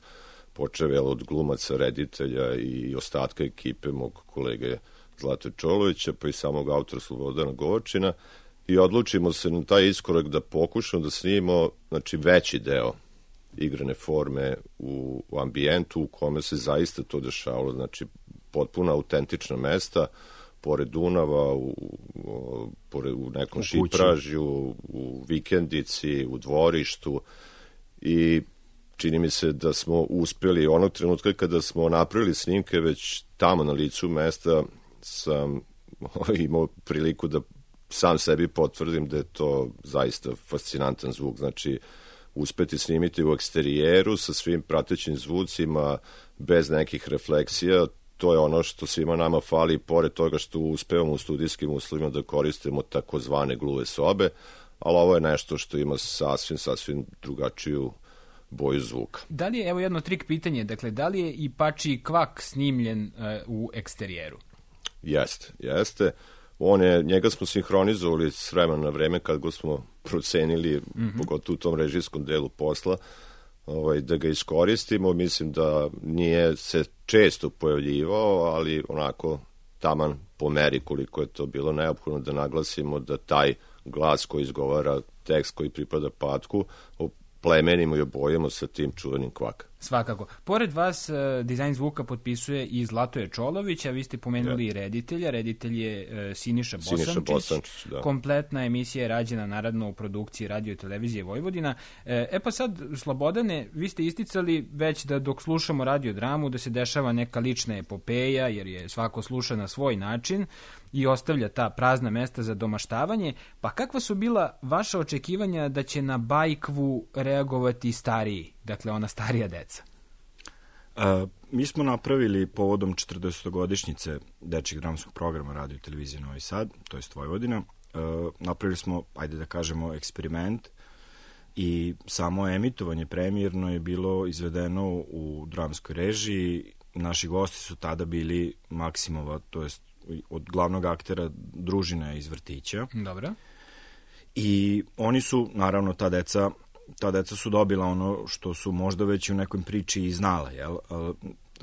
[SPEAKER 18] počeo od glumaca, reditelja i ostatka ekipe mog kolege Zlate Čolovića, pa i samog autora Slobodana Govačina, i odlučimo se na taj iskorak da pokušamo da snimimo, znači, veći deo igrane forme u, u ambijentu u kome se zaista to dešavalo, znači potpuno autentična mesta, pored Dunava, u, u, pored, u nekom u šipražju, u vikendici, u dvorištu, i čini mi se da smo uspeli onog trenutka kada smo napravili snimke, već tamo na licu mesta sam imao priliku da sam sebi potvrdim da je to zaista fascinantan zvuk. Znači, uspeti snimiti u eksterijeru sa svim pratećim zvucima, bez nekih refleksija, to je ono što svima nama fali, pored toga što uspevamo u studijskim uslovima da koristimo takozvane gluve sobe, ali ovo je nešto što ima sasvim, sasvim drugačiju boju zvuka.
[SPEAKER 1] Da li je, evo jedno trik pitanje, dakle, da li je i Pačiji kvak snimljen uh, u eksterijeru?
[SPEAKER 18] Jeste, jeste. On je, njega smo sinhronizovali s vremena na vreme kad go smo procenili, mm-hmm. pogotovo u tom režijskom delu posla, ovaj, da ga iskoristimo. Mislim da nije se često pojavljivao, ali onako taman po meri koliko je to bilo neophodno da naglasimo da taj glas koji izgovara tekst koji pripada Patku plemenimo i obojemo sa tim čuvenim kvaka.
[SPEAKER 1] Svakako. Pored vas, uh, dizajn zvuka potpisuje i Zlatoje Čolović, a vi ste pomenuli i ja. reditelja. Reditelj je uh, Siniša Bosančić. Siniša Bosančić, da. Kompletna emisija je rađena naravno u produkciji Radio i Televizije Vojvodina. E, e pa sad, Slobodane, vi ste isticali već da dok slušamo radiodramu da se dešava neka lična epopeja, jer je svako sluša na svoj način i ostavlja ta prazna mesta za domaštavanje. Pa kakva su bila vaša očekivanja da će na Bajkvu reagovati stariji, dakle ona starija deca?
[SPEAKER 17] Uh, mi smo napravili povodom četrdesetogodišnjice dečjeg dramskog programa Radio i Televizije Novi Sad, to jest Vojvodina. Uh, napravili smo, ajde da kažemo, eksperiment i samo emitovanje premijerno je bilo izvedeno u dramskoj režiji. Naši gosti su tada bili Maksimova, to jest od glavnog aktera družine iz vrtića.
[SPEAKER 1] Dobro.
[SPEAKER 17] I oni su, naravno, ta deca ta deca su dobila ono što su možda već u nekoj priči i znala, jel?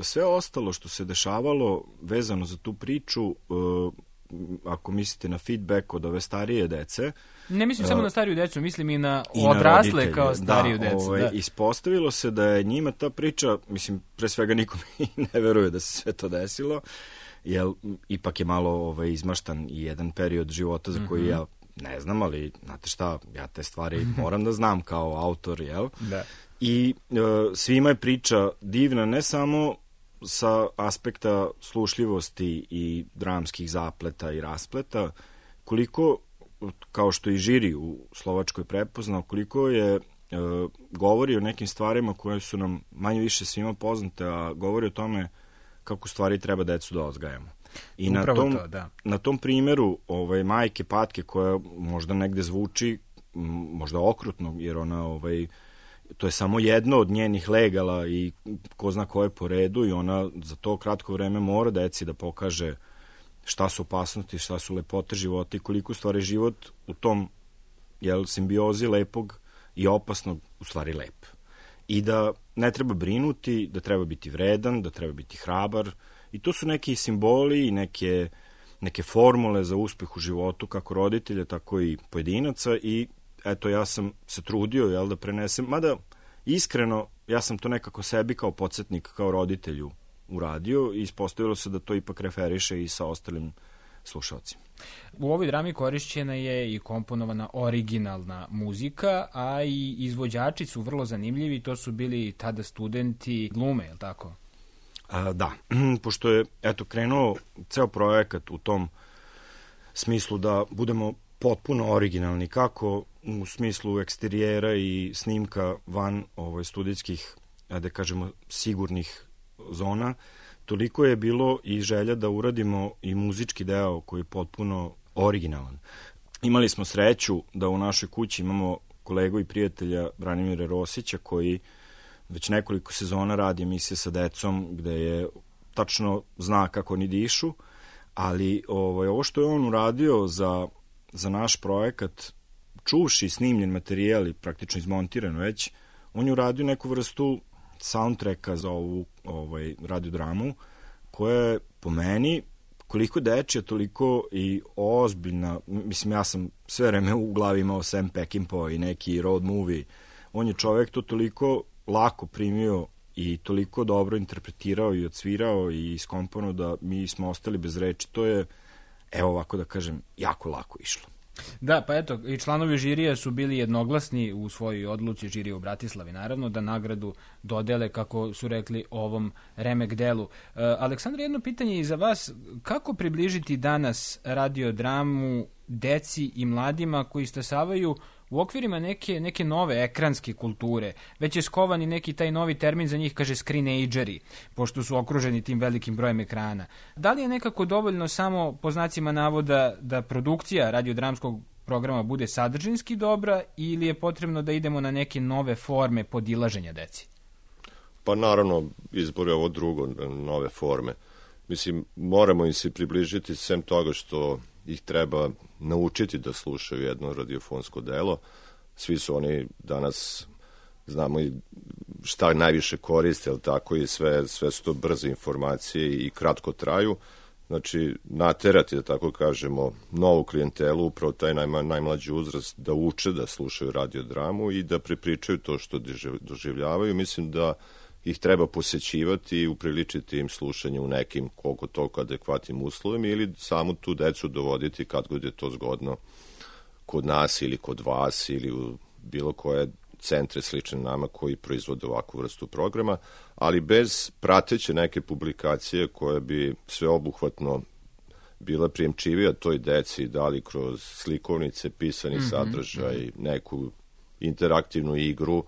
[SPEAKER 17] Sve ostalo što se dešavalo vezano za tu priču ako mislite na feedback od ove starije dece.
[SPEAKER 1] Ne mislim samo
[SPEAKER 17] uh,
[SPEAKER 1] na stariju decu, mislim i na
[SPEAKER 17] i na
[SPEAKER 1] odrasle
[SPEAKER 17] roditelje.
[SPEAKER 1] kao stariju
[SPEAKER 17] da,
[SPEAKER 1] decu.
[SPEAKER 17] Ovaj,
[SPEAKER 1] da,
[SPEAKER 17] ispostavilo se da je njima ta priča, mislim, pre svega nikom ne veruje da se sve to desilo, jer ipak je malo ovaj, izmaštan i jedan period života za koji mm-hmm. ja ne znam, ali znate šta, ja te stvari moram da znam kao autor, jel?
[SPEAKER 1] Da.
[SPEAKER 17] I uh, svima je priča divna, ne samo sa aspekta slušljivosti i dramskih zapleta i raspleta, koliko, kao što i žiri u Slovačkoj prepoznao, koliko je e, govori o nekim stvarima koje su nam manje više svima poznate, a govori o tome kako stvari treba decu da odgajamo. I na tom,
[SPEAKER 1] to, da.
[SPEAKER 17] na tom primjeru ovaj, majke Patke, koja možda negde zvuči možda okrutno, jer ona ovaj, to je samo jedno od njenih legala i ko zna koje po redu, i ona za to kratko vreme mora deci da pokaže šta su opasnosti, šta su lepote života i koliko stvari život u tom, jel, simbiozi lepog i opasnog u stvari lep. I da ne treba brinuti, da treba biti vredan, da treba biti hrabar, i to su neki simboli i neke, neke formule za uspeh u životu, kako roditelja, tako i pojedinaca, i eto, ja sam se trudio, jel, da prenesem, mada iskreno, ja sam to nekako sebi kao podsjetnik, kao roditelju uradio, i ispostavilo se da to ipak referiše i sa ostalim slušalcima.
[SPEAKER 1] U ovoj drami korišćena je i komponovana originalna muzika, a i izvođači su vrlo zanimljivi, to su bili tada studenti glume, je li tako?
[SPEAKER 17] A, da, pošto je, eto, krenuo ceo projekat u tom smislu da budemo potpuno originalni, kako u smislu eksterijera i snimka van ovaj, studijskih, da kažemo, sigurnih zona, toliko je bilo i želja da uradimo i muzički deo koji je potpuno originalan. Imali smo sreću da u našoj kući imamo kolegu i prijatelja Branimira Rosića, koji već nekoliko sezona radi emisije sa decom, gde je tačno zna kako oni dišu, ali ovaj, ovo što je on uradio za, za naš projekat, čuvši snimljen materijal i praktično izmontiran već, on je uradio neku vrstu soundtracka za ovu ovaj, radiodramu, koja je po meni koliko dečija, toliko i ozbiljna. Mislim, ja sam sve vreme u glavi imao Sam Peckinpah i neki road movie. On je čovek to toliko lako primio i toliko dobro interpretirao i odsvirao i iskomponovao da mi smo ostali bez reči. To je, evo ovako da kažem, jako lako išlo.
[SPEAKER 1] Da, pa eto, i članovi žirija su bili jednoglasni u svojoj odluci, žirija u Bratislavi, naravno, da nagradu dodele, kako su rekli, ovom remek delu. E, Aleksandra, jedno pitanje i za vas. Kako približiti danas radiodramu deci i mladima koji stasavaju u okvirima neke, neke nove ekranske kulture? Već je skovan i neki taj novi termin za njih, kaže screenageri, pošto su okruženi tim velikim brojem ekrana. Da li je nekako dovoljno samo, po znacima navoda, da produkcija radiodramskog programa bude sadržinski dobra, ili je potrebno da idemo na neke nove forme podilaženja deci?
[SPEAKER 18] Pa naravno, izbor je ovo drugo, nove forme. Mislim, moramo im se približiti, sem toga što ih treba naučiti da slušaju jedno radiofonsko delo. Svi su oni danas, znamo i šta najviše koriste, ali tako i sve, sve su to brze informacije i kratko traju. Znači, naterati, da tako kažemo, novu klijentelu, upravo taj najma, najmlađi uzrast, da uče da slušaju radiodramu i da prepričaju to što doživljavaju. Mislim da ih treba posećivati i upriličiti im slušanje u nekim koliko toliko adekvatnim uslovima, ili samo tu decu dovoditi kad god je to zgodno kod nas ili kod vas ili u bilo koje centre slične nama koji proizvode ovakvu vrstu programa, ali bez prateće neke publikacije koje bi sveobuhvatno bila prijemčivija toj deci, da li kroz slikovnice, pisani mm-hmm. sadržaj, neku interaktivnu igru,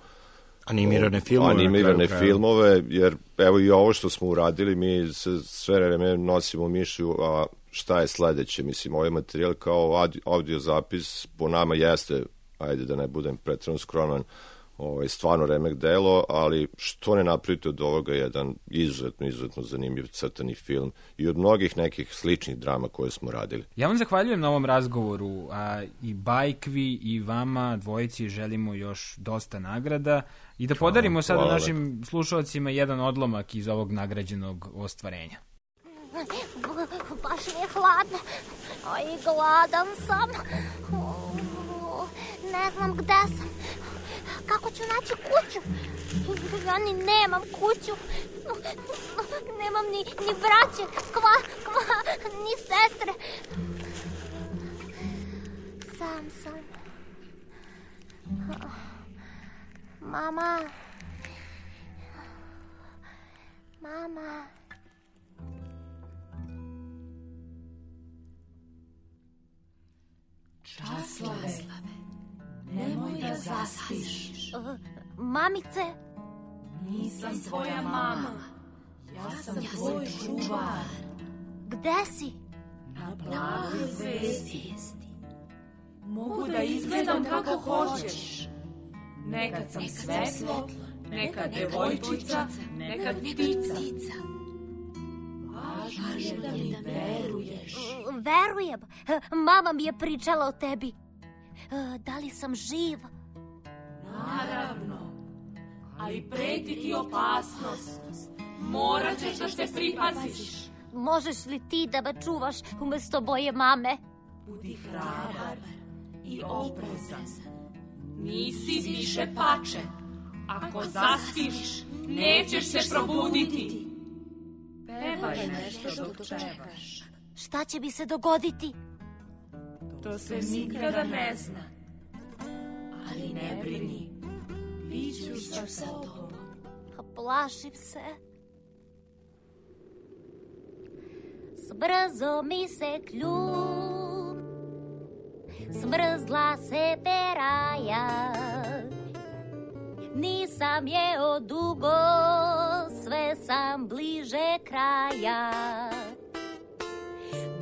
[SPEAKER 17] Animirane filmove.
[SPEAKER 18] Animirane filmove, jer evo i ovo što smo uradili, mi se sve vreme nosimo mišlju, a šta je sledeće? Mislim, ovaj materijal kao audio zapis po nama jeste, ajde da ne budem pretrano skroman, ovaj, stvarno remek delo, ali što ne napravite od ovoga jedan izuzetno, izuzetno zanimljiv crtani film i od mnogih nekih sličnih drama koje smo radili.
[SPEAKER 1] Ja vam zahvaljujem na ovom razgovoru, a i Bajkvi i vama dvojici želimo još dosta nagrada i da podarimo sada našim slušalcima jedan odlomak iz ovog nagrađenog ostvarenja.
[SPEAKER 6] Baš mi je hladno. A i gladan sam. Ne znam gde sam. Kako ću naći kuću? Ja ni nemam kuću. Nemam ni, ni braće, kva, kva, ni sestre. Sam sam. Mama. Mama.
[SPEAKER 19] Časlave, nemoj da zaspiš.
[SPEAKER 6] Uh, mamice?
[SPEAKER 19] Nisam tvoja mama. Ja sam ja tvoj čuvar.
[SPEAKER 6] Gde si?
[SPEAKER 19] Na plavoj zvezdi. Mogu da izgledam kako hoćeš. Nekad sam svetlo, nekad devojčica, nekad ptica. Važno je da mi veruješ.
[SPEAKER 6] Verujem. Mama mi je pričala o tebi. Da li sam živ?
[SPEAKER 19] Naravno. Ali preti ti opasnost. Morat ćeš da se pripaziš.
[SPEAKER 6] Možeš li ti da me čuvaš umesto moje mame?
[SPEAKER 19] Budi hrabar i oprezan. Nisi više pače. Ako zaspiš, nećeš se probuditi. Pevaj nešto dok čekaš.
[SPEAKER 6] Šta će mi se dogoditi?
[SPEAKER 19] To se nikada ne zna. Ali ne brini, biću sa tobom.
[SPEAKER 6] Plašim se. Zbrzo mi se kljub, smrzla se peraja. Nisam je od dugo, sve sam bliže kraja.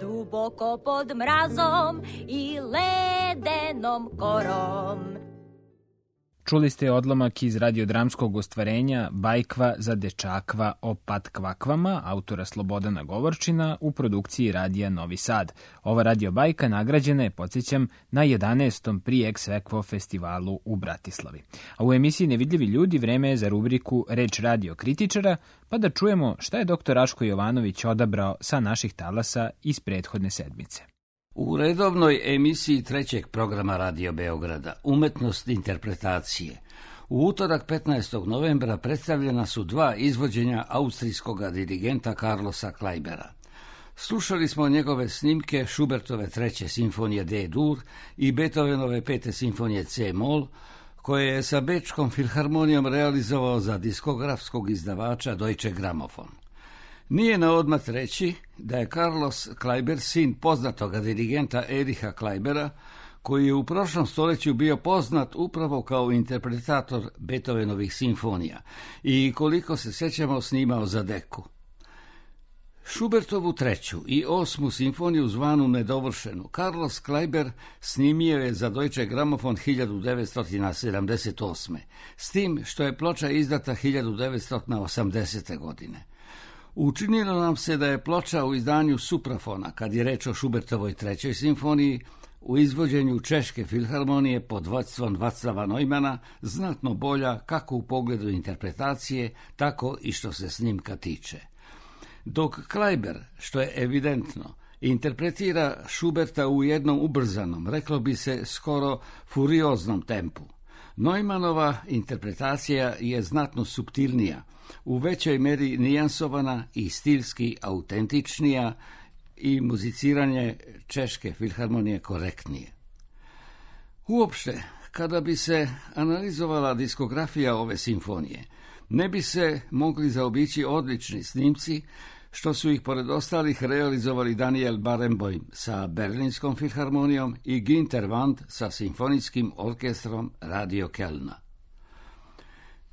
[SPEAKER 6] Duboko pod mrazom i ledenom korom.
[SPEAKER 1] Čuli ste odlomak iz radiodramskog ostvarenja Bajkva za dečakva o patkvakvama, autora Slobodana Govorčina, u produkciji Radija Novi Sad. Ova radio bajka nagrađena je, podsjećam, na jedanaestom Pri Ex Equo festivalu u Bratislavi. A u emisiji Nevidljivi ljudi vreme je za rubriku Reč radio kritičara, pa da čujemo šta je doktor Raško Jovanović odabrao sa naših talasa iz prethodne sedmice.
[SPEAKER 20] U redovnoj emisiji trećeg programa Radio Beograda Umetnost interpretacije u utorak petnaestog novembra predstavljena su dva izvođenja austrijskog dirigenta Carlosa Kleibera. Slušali smo njegove snimke Schubertove treće simfonije D-dur i Beethovenove pete simfonije C-mol, koje je sa Bečkom filharmonijom realizovao za diskografskog izdavača Deutsche Grammophon. Nije na odmat reći da je Carlos Kleiber sin poznatoga dirigenta Ericha Kleibera, koji je u prošlom stoljeću bio poznat upravo kao interpretator Beethovenovih simfonija i, koliko se sjećamo, snimao za Deku. Schubertovu treću i osmu simfoniju zvanu Nedovršenu Carlos Kleiber snimio je za Deutsche Grammophon hiljadu devetsto sedamdeset osme, s tim što je ploča izdata hiljadu devetsto osamdesete. godine. Učinilo nam se da je ploča u izdanju Suprafona, kad je reč o Schubertovoj trećoj simfoniji, u izvođenju Češke filharmonije pod vodstvom Vaclava Neumana, znatno bolja kako u pogledu interpretacije, tako i što se snimka tiče. Dok Kleiber, što je evidentno, interpretira Schuberta u jednom ubrzanom, reklo bi se skoro furioznom tempu, Neumannova interpretacija je znatno suptilnija, u većoj meri nijansovana i stilski autentičnija i muziciranje Češke filharmonije korektnije. Uopšte, kada bi se analizovala diskografija ove simfonije, ne bi se mogli zaobići odlični snimci, što su ih pored ostalih realizovali Daniel Barenboim sa Berlinskom filharmonijom i Günter Wand sa simfonijskim orkestrom Radio Kelna.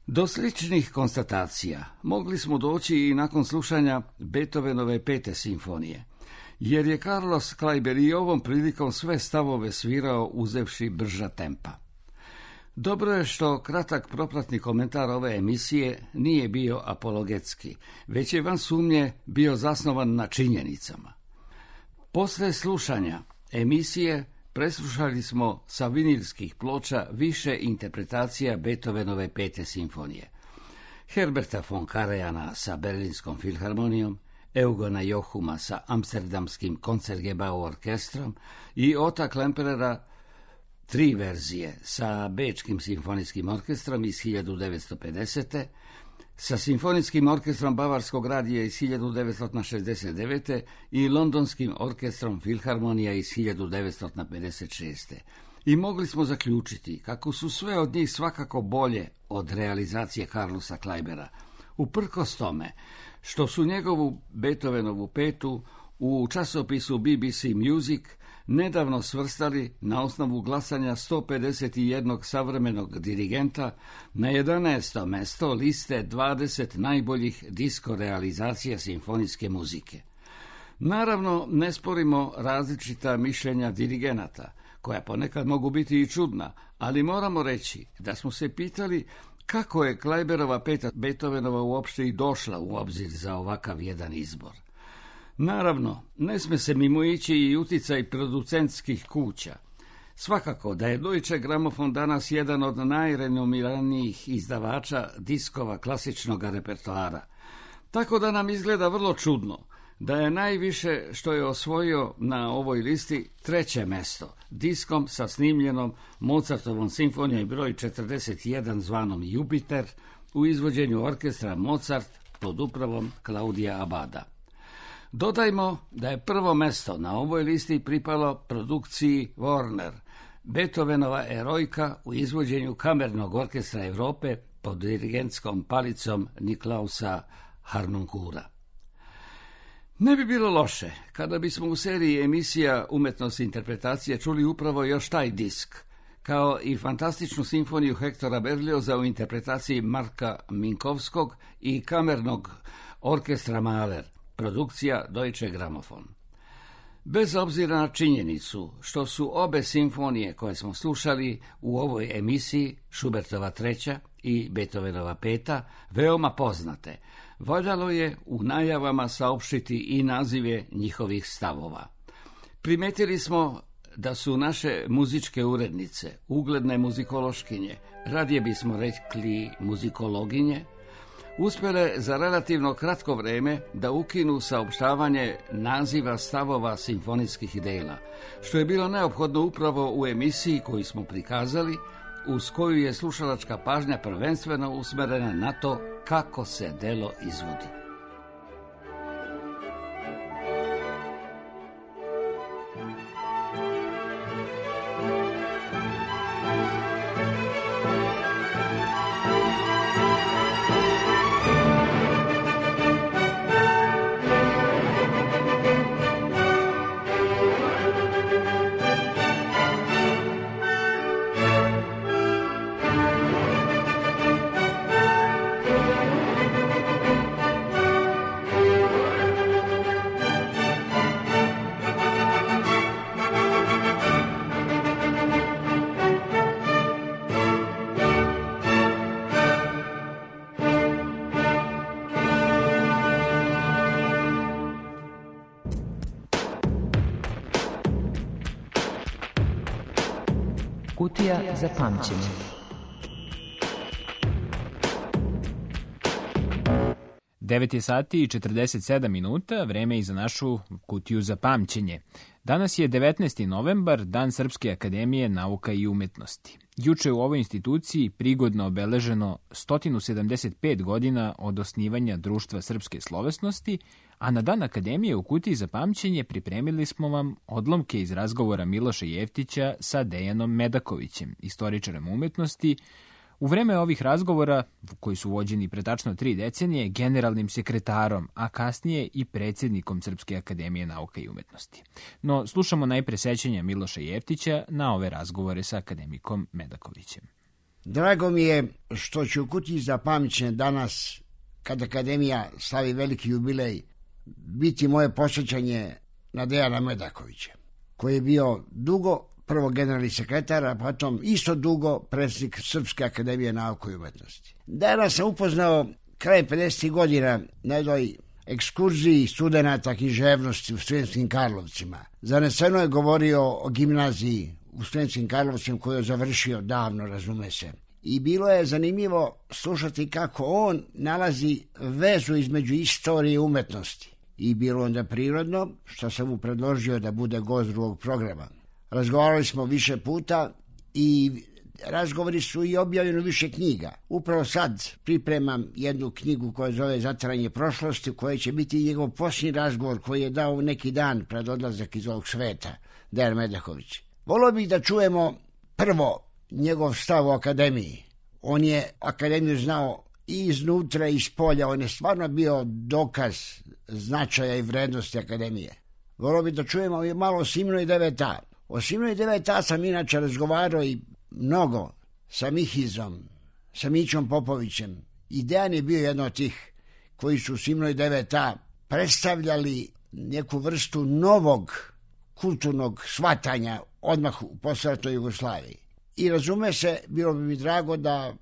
[SPEAKER 20] Do sličnih konstatacija mogli smo doći i nakon slušanja Beethovenove pete simfonije, jer je Carlos Kleiber i ovom prilikom sve stavove svirao uzevši brža tempa. Dobro je što kratak propratni komentar ove emisije nije bio apologetski, već je van sumnje bio zasnovan na činjenicama. Posle slušanja emisije preslušali smo sa vinilskih ploča više interpretacija Beethovenove pete simfonije. Herberta von Karajana sa Berlinskom filharmonijom, Eugena Johuma sa amsterdamskim Koncertgebau orkestrom i Ota Klemperera tri verzije sa Bečkim simfonijskim orkestrom iz hiljadu devetsto pedesete, sa Simfonijskim orkestrom Bavarskog radija iz hiljadu devetsto šezdeset devete i Londonskim orkestrom Filharmonija iz hiljadu devetsto pedeset šeste. I mogli smo zaključiti kako su sve od njih svakako bolje od realizacije Carlosa Kleibera, uprkos tome što su njegovu Beethovenovu petu u časopisu B B C Music nedavno svrstali na osnovu glasanja sto pedeset jednog savremenog dirigenta na jedanaesto mesto liste dvadeset najboljih disko realizacija simfonijske muzike. Naravno, ne sporimo različita mišljenja dirigenata, koja ponekad mogu biti i čudna, ali moramo reći da smo se pitali kako je Kleiberova peta Beethovenova uopšte i došla u obzir za ovakav jedan izbor. Naravno, ne sme se mimo ići i uticaj producentskih kuća. Svakako da je Deutsche Grammophon danas jedan od najrenomiranijih izdavača diskova klasičnog repertoara. Tako da nam izgleda vrlo čudno da je najviše što je osvojio na ovoj listi treće mesto, diskom sa snimljenom Mozartovom simfonijom broj četrdeset jedan zvanom Jupiter u izvođenju orkestra Mozart pod upravom Klaudija Abada. Dodajmo da je prvo mesto na ovoj listi pripalo produkciji Warner, Beethovenova Erojka u izvođenju Kamernog orkestra Evrope pod dirigentskom palicom Niklausa Harnonkura. Ne bi bilo loše kada bismo u seriji emisija Umetnost interpretacije čuli upravo još taj disk, kao i fantastičnu simfoniju Hektora Berlioza u interpretaciji Marka Minkovskog i Kamernog orkestra Mahler, produkcija Deutsche Grammophon. Bez obzira na činjenicu što su obe simfonije koje smo slušali u ovoj emisiji, Schubertova treća i Beethovenova peta, veoma poznate, valjalo je u najavama saopštiti i nazive njihovih stavova. Primetili smo da su naše muzičke urednice, ugledne muzikološkinje, radije bismo rekli muzikologinje, uspjele za relativno kratko vreme da ukinu saopštavanje naziva stavova simfonijskih dela, što je bilo neophodno upravo u emisiji koju smo prikazali, uz koju je slušalačka pažnja prvenstveno usmerena na to kako se delo izvodi.
[SPEAKER 4] Kutija za pamćenje.
[SPEAKER 1] devet je sati i četrdeset sedam minuta, vreme i za našu kutiju za pamćenje. Danas je devetnaesti novembar, dan Srpske akademije nauka i umetnosti. Juče u ovoj instituciji prigodno obeleženo sto sedamdeset pet godina od osnivanja Društva srpske slovesnosti, a na dan Akademije u kutiji za pamćenje pripremili smo vam odlomke iz razgovora Miloša Jeftića sa Dejanom Medakovićem, istoričarem umetnosti, u vreme ovih razgovora, koji su vođeni pre tačno tri decenije, generalnim sekretarom, a kasnije i predsjednikom Srpske akademije nauka i umetnosti. No, slušamo najpre sećanja Miloša Jeftića na ove razgovore sa akademikom Medakovićem.
[SPEAKER 21] Drago mi je što ću u kutiji za pamćenje danas, kad Akademija slavi veliki jubilej, biti moje posjećanje na Dejana Medakovića, koji je bio dugo prvo generalni sekretar, a potom isto dugo predsjednik Srpske akademije nauka i umetnosti. Dejana sam upoznao kraj pedesetih godina na jednoj ekskurziji studenata književnosti u Sremskim Karlovcima. Zaneseno je govorio o gimnaziji u Sremskim Karlovcima koju je završio davno, razume se. I bilo je zanimljivo slušati kako on nalazi vezu između istorije i umetnosti. i bilo onda prirodno što sam mu predložio da bude gost drugog programa. Razgovarali smo više puta i razgovori su i objavljeni više knjiga. Upravo sad pripremam jednu knjigu koja zove Zatvaranje prošlosti, koja će biti njegov posljednji razgovor koji je dao neki dan pred odlazak iz ovog sveta, Dejan Medaković. Volio bih da čujemo prvo njegov stav o akademiji. On je akademiju znao i iznutra i iz polja, on je stvarno bio dokaz značaja i vrednosti akademije. Volio bih da čujemo malo o Siminu i devet a. O Siminu i devet a sam inače razgovarao i mnogo sa Mihizom, sa Mićom Popovićem. I Dejan je bio jedan od tih koji su u Siminu i devet a predstavljali neku vrstu novog kulturnog shvatanja odmah u posleratnoj Jugoslaviji. I razume se, bilo bi mi drago da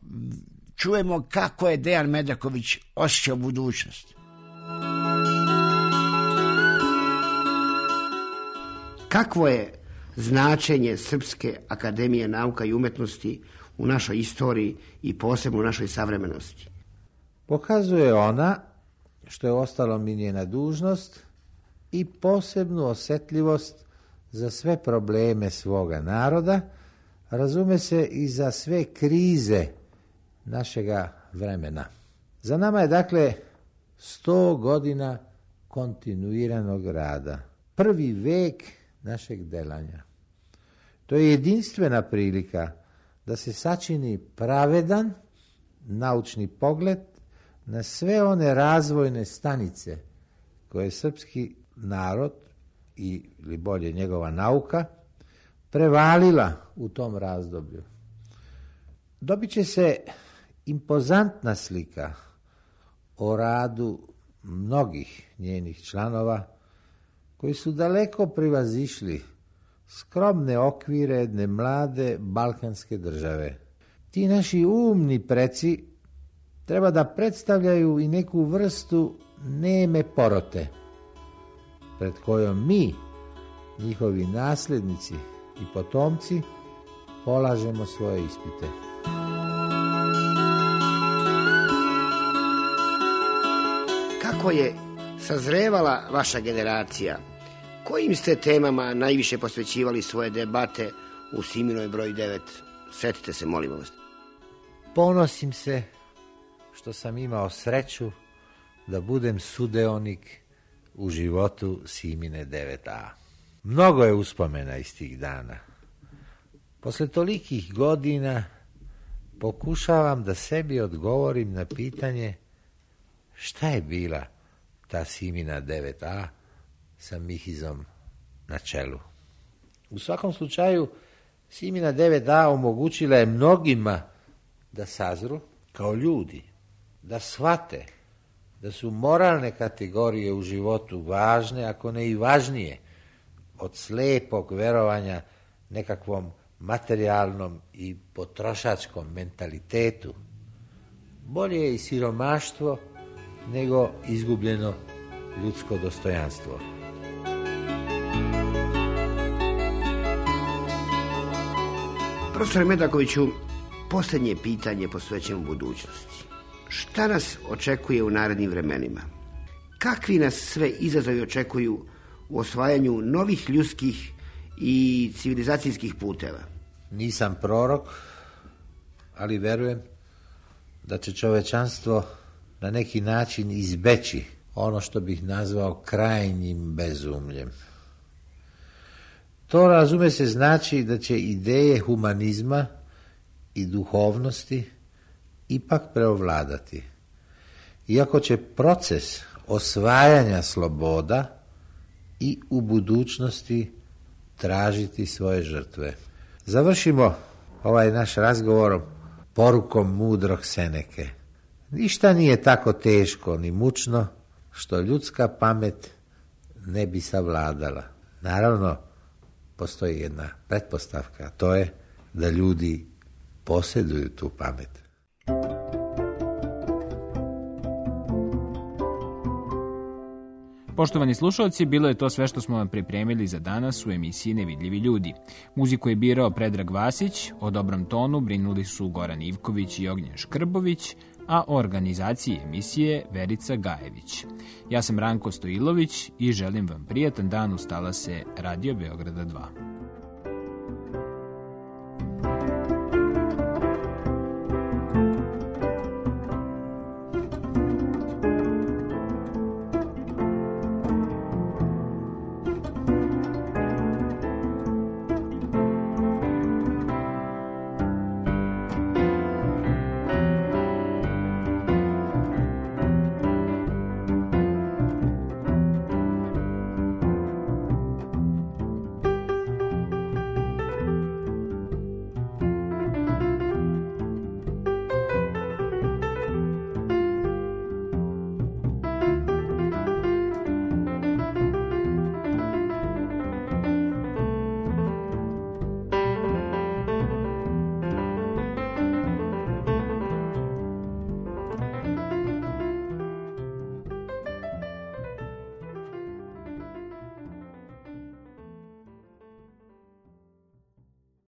[SPEAKER 21] čujemo kako je Dejan Medaković osjećao budućnost.
[SPEAKER 3] Kakvo je značenje Srpske akademije nauka i umetnosti u našoj istoriji i posebno u našoj savremenosti?
[SPEAKER 22] Pokazuje ona, što je ostalo mi njena dužnost, i posebnu osjetljivost za sve probleme svoga naroda, razume se i za sve krize našega vremena. Za nama je dakle sto godina kontinuiranog rada, prvi vek našeg delanja. To je jedinstvena prilika da se sačini pravedan naučni pogled na sve one razvojne stanice koje srpski narod, ili bolje njegova nauka, prevalila u tom razdoblju. Dobit će se impozantna slika o radu mnogih njenih članova koji su daleko privazišli skromne okvire jedne mlade balkanske države. Ti naši umni preci treba da predstavljaju i neku vrstu neme porote, pred kojom mi, njihovi nasljednici i potomci, polažemo svoje ispite.
[SPEAKER 3] Kako je sazrevala vaša generacija? Kojim ste temama najviše posvećivali svoje debate u Siminoj broj devet? Setite se, molim vas.
[SPEAKER 22] Ponosim se što sam imao sreću da budem sudeonik u životu Simine devet a. Mnogo je uspomena iz tih dana. Posle tolikih godina pokušavam da sebi odgovorim na pitanje šta je bila ta Simina devet a sa Mihizom na čelu. U svakom slučaju, Simina devet a omogućila je mnogima da sazru kao ljudi, da shvate da su moralne kategorije u životu važne, ako ne i važnije, od slepog verovanja nekakvom materijalnom i potrošačkom mentalitetu. Bolje je i siromaštvo nego izgubljeno ljudsko dostojanstvo.
[SPEAKER 3] Profesore Medakoviću, posljednje pitanje posvećeno budućnosti. Šta nas očekuje u narednim vremenima? Kakvi nas sve izazovi očekuju u osvajanju novih ljudskih i civilizacijskih puteva?
[SPEAKER 22] Nisam prorok, ali verujem da će čovečanstvo na neki način izbeći ono što bih nazvao krajnjim bezumljem. To, razume se, znači da će ideje humanizma i duhovnosti ipak preovladati. Iako će proces osvajanja sloboda i u budućnosti tražiti svoje žrtve. Završimo ovaj naš razgovor porukom mudrog Seneke. Ništa nije tako teško ni mučno što ljudska pamet ne bi savladala. Naravno, postoji jedna pretpostavka, a to je da ljudi posjeduju tu pamet.
[SPEAKER 1] Poštovani slušalci, bilo je to sve što smo vam pripremili za danas u emisiji Nevidljivi ljudi. Muziku je birao Predrag Vasić, o dobrom tonu brinuli su Goran Ivković i Ognjen Škrbović, a o organizaciji emisije Verica Gajević. Ja sam Ranko Stojilović i želim vam prijatan dan uz talase Radio Beograda dva.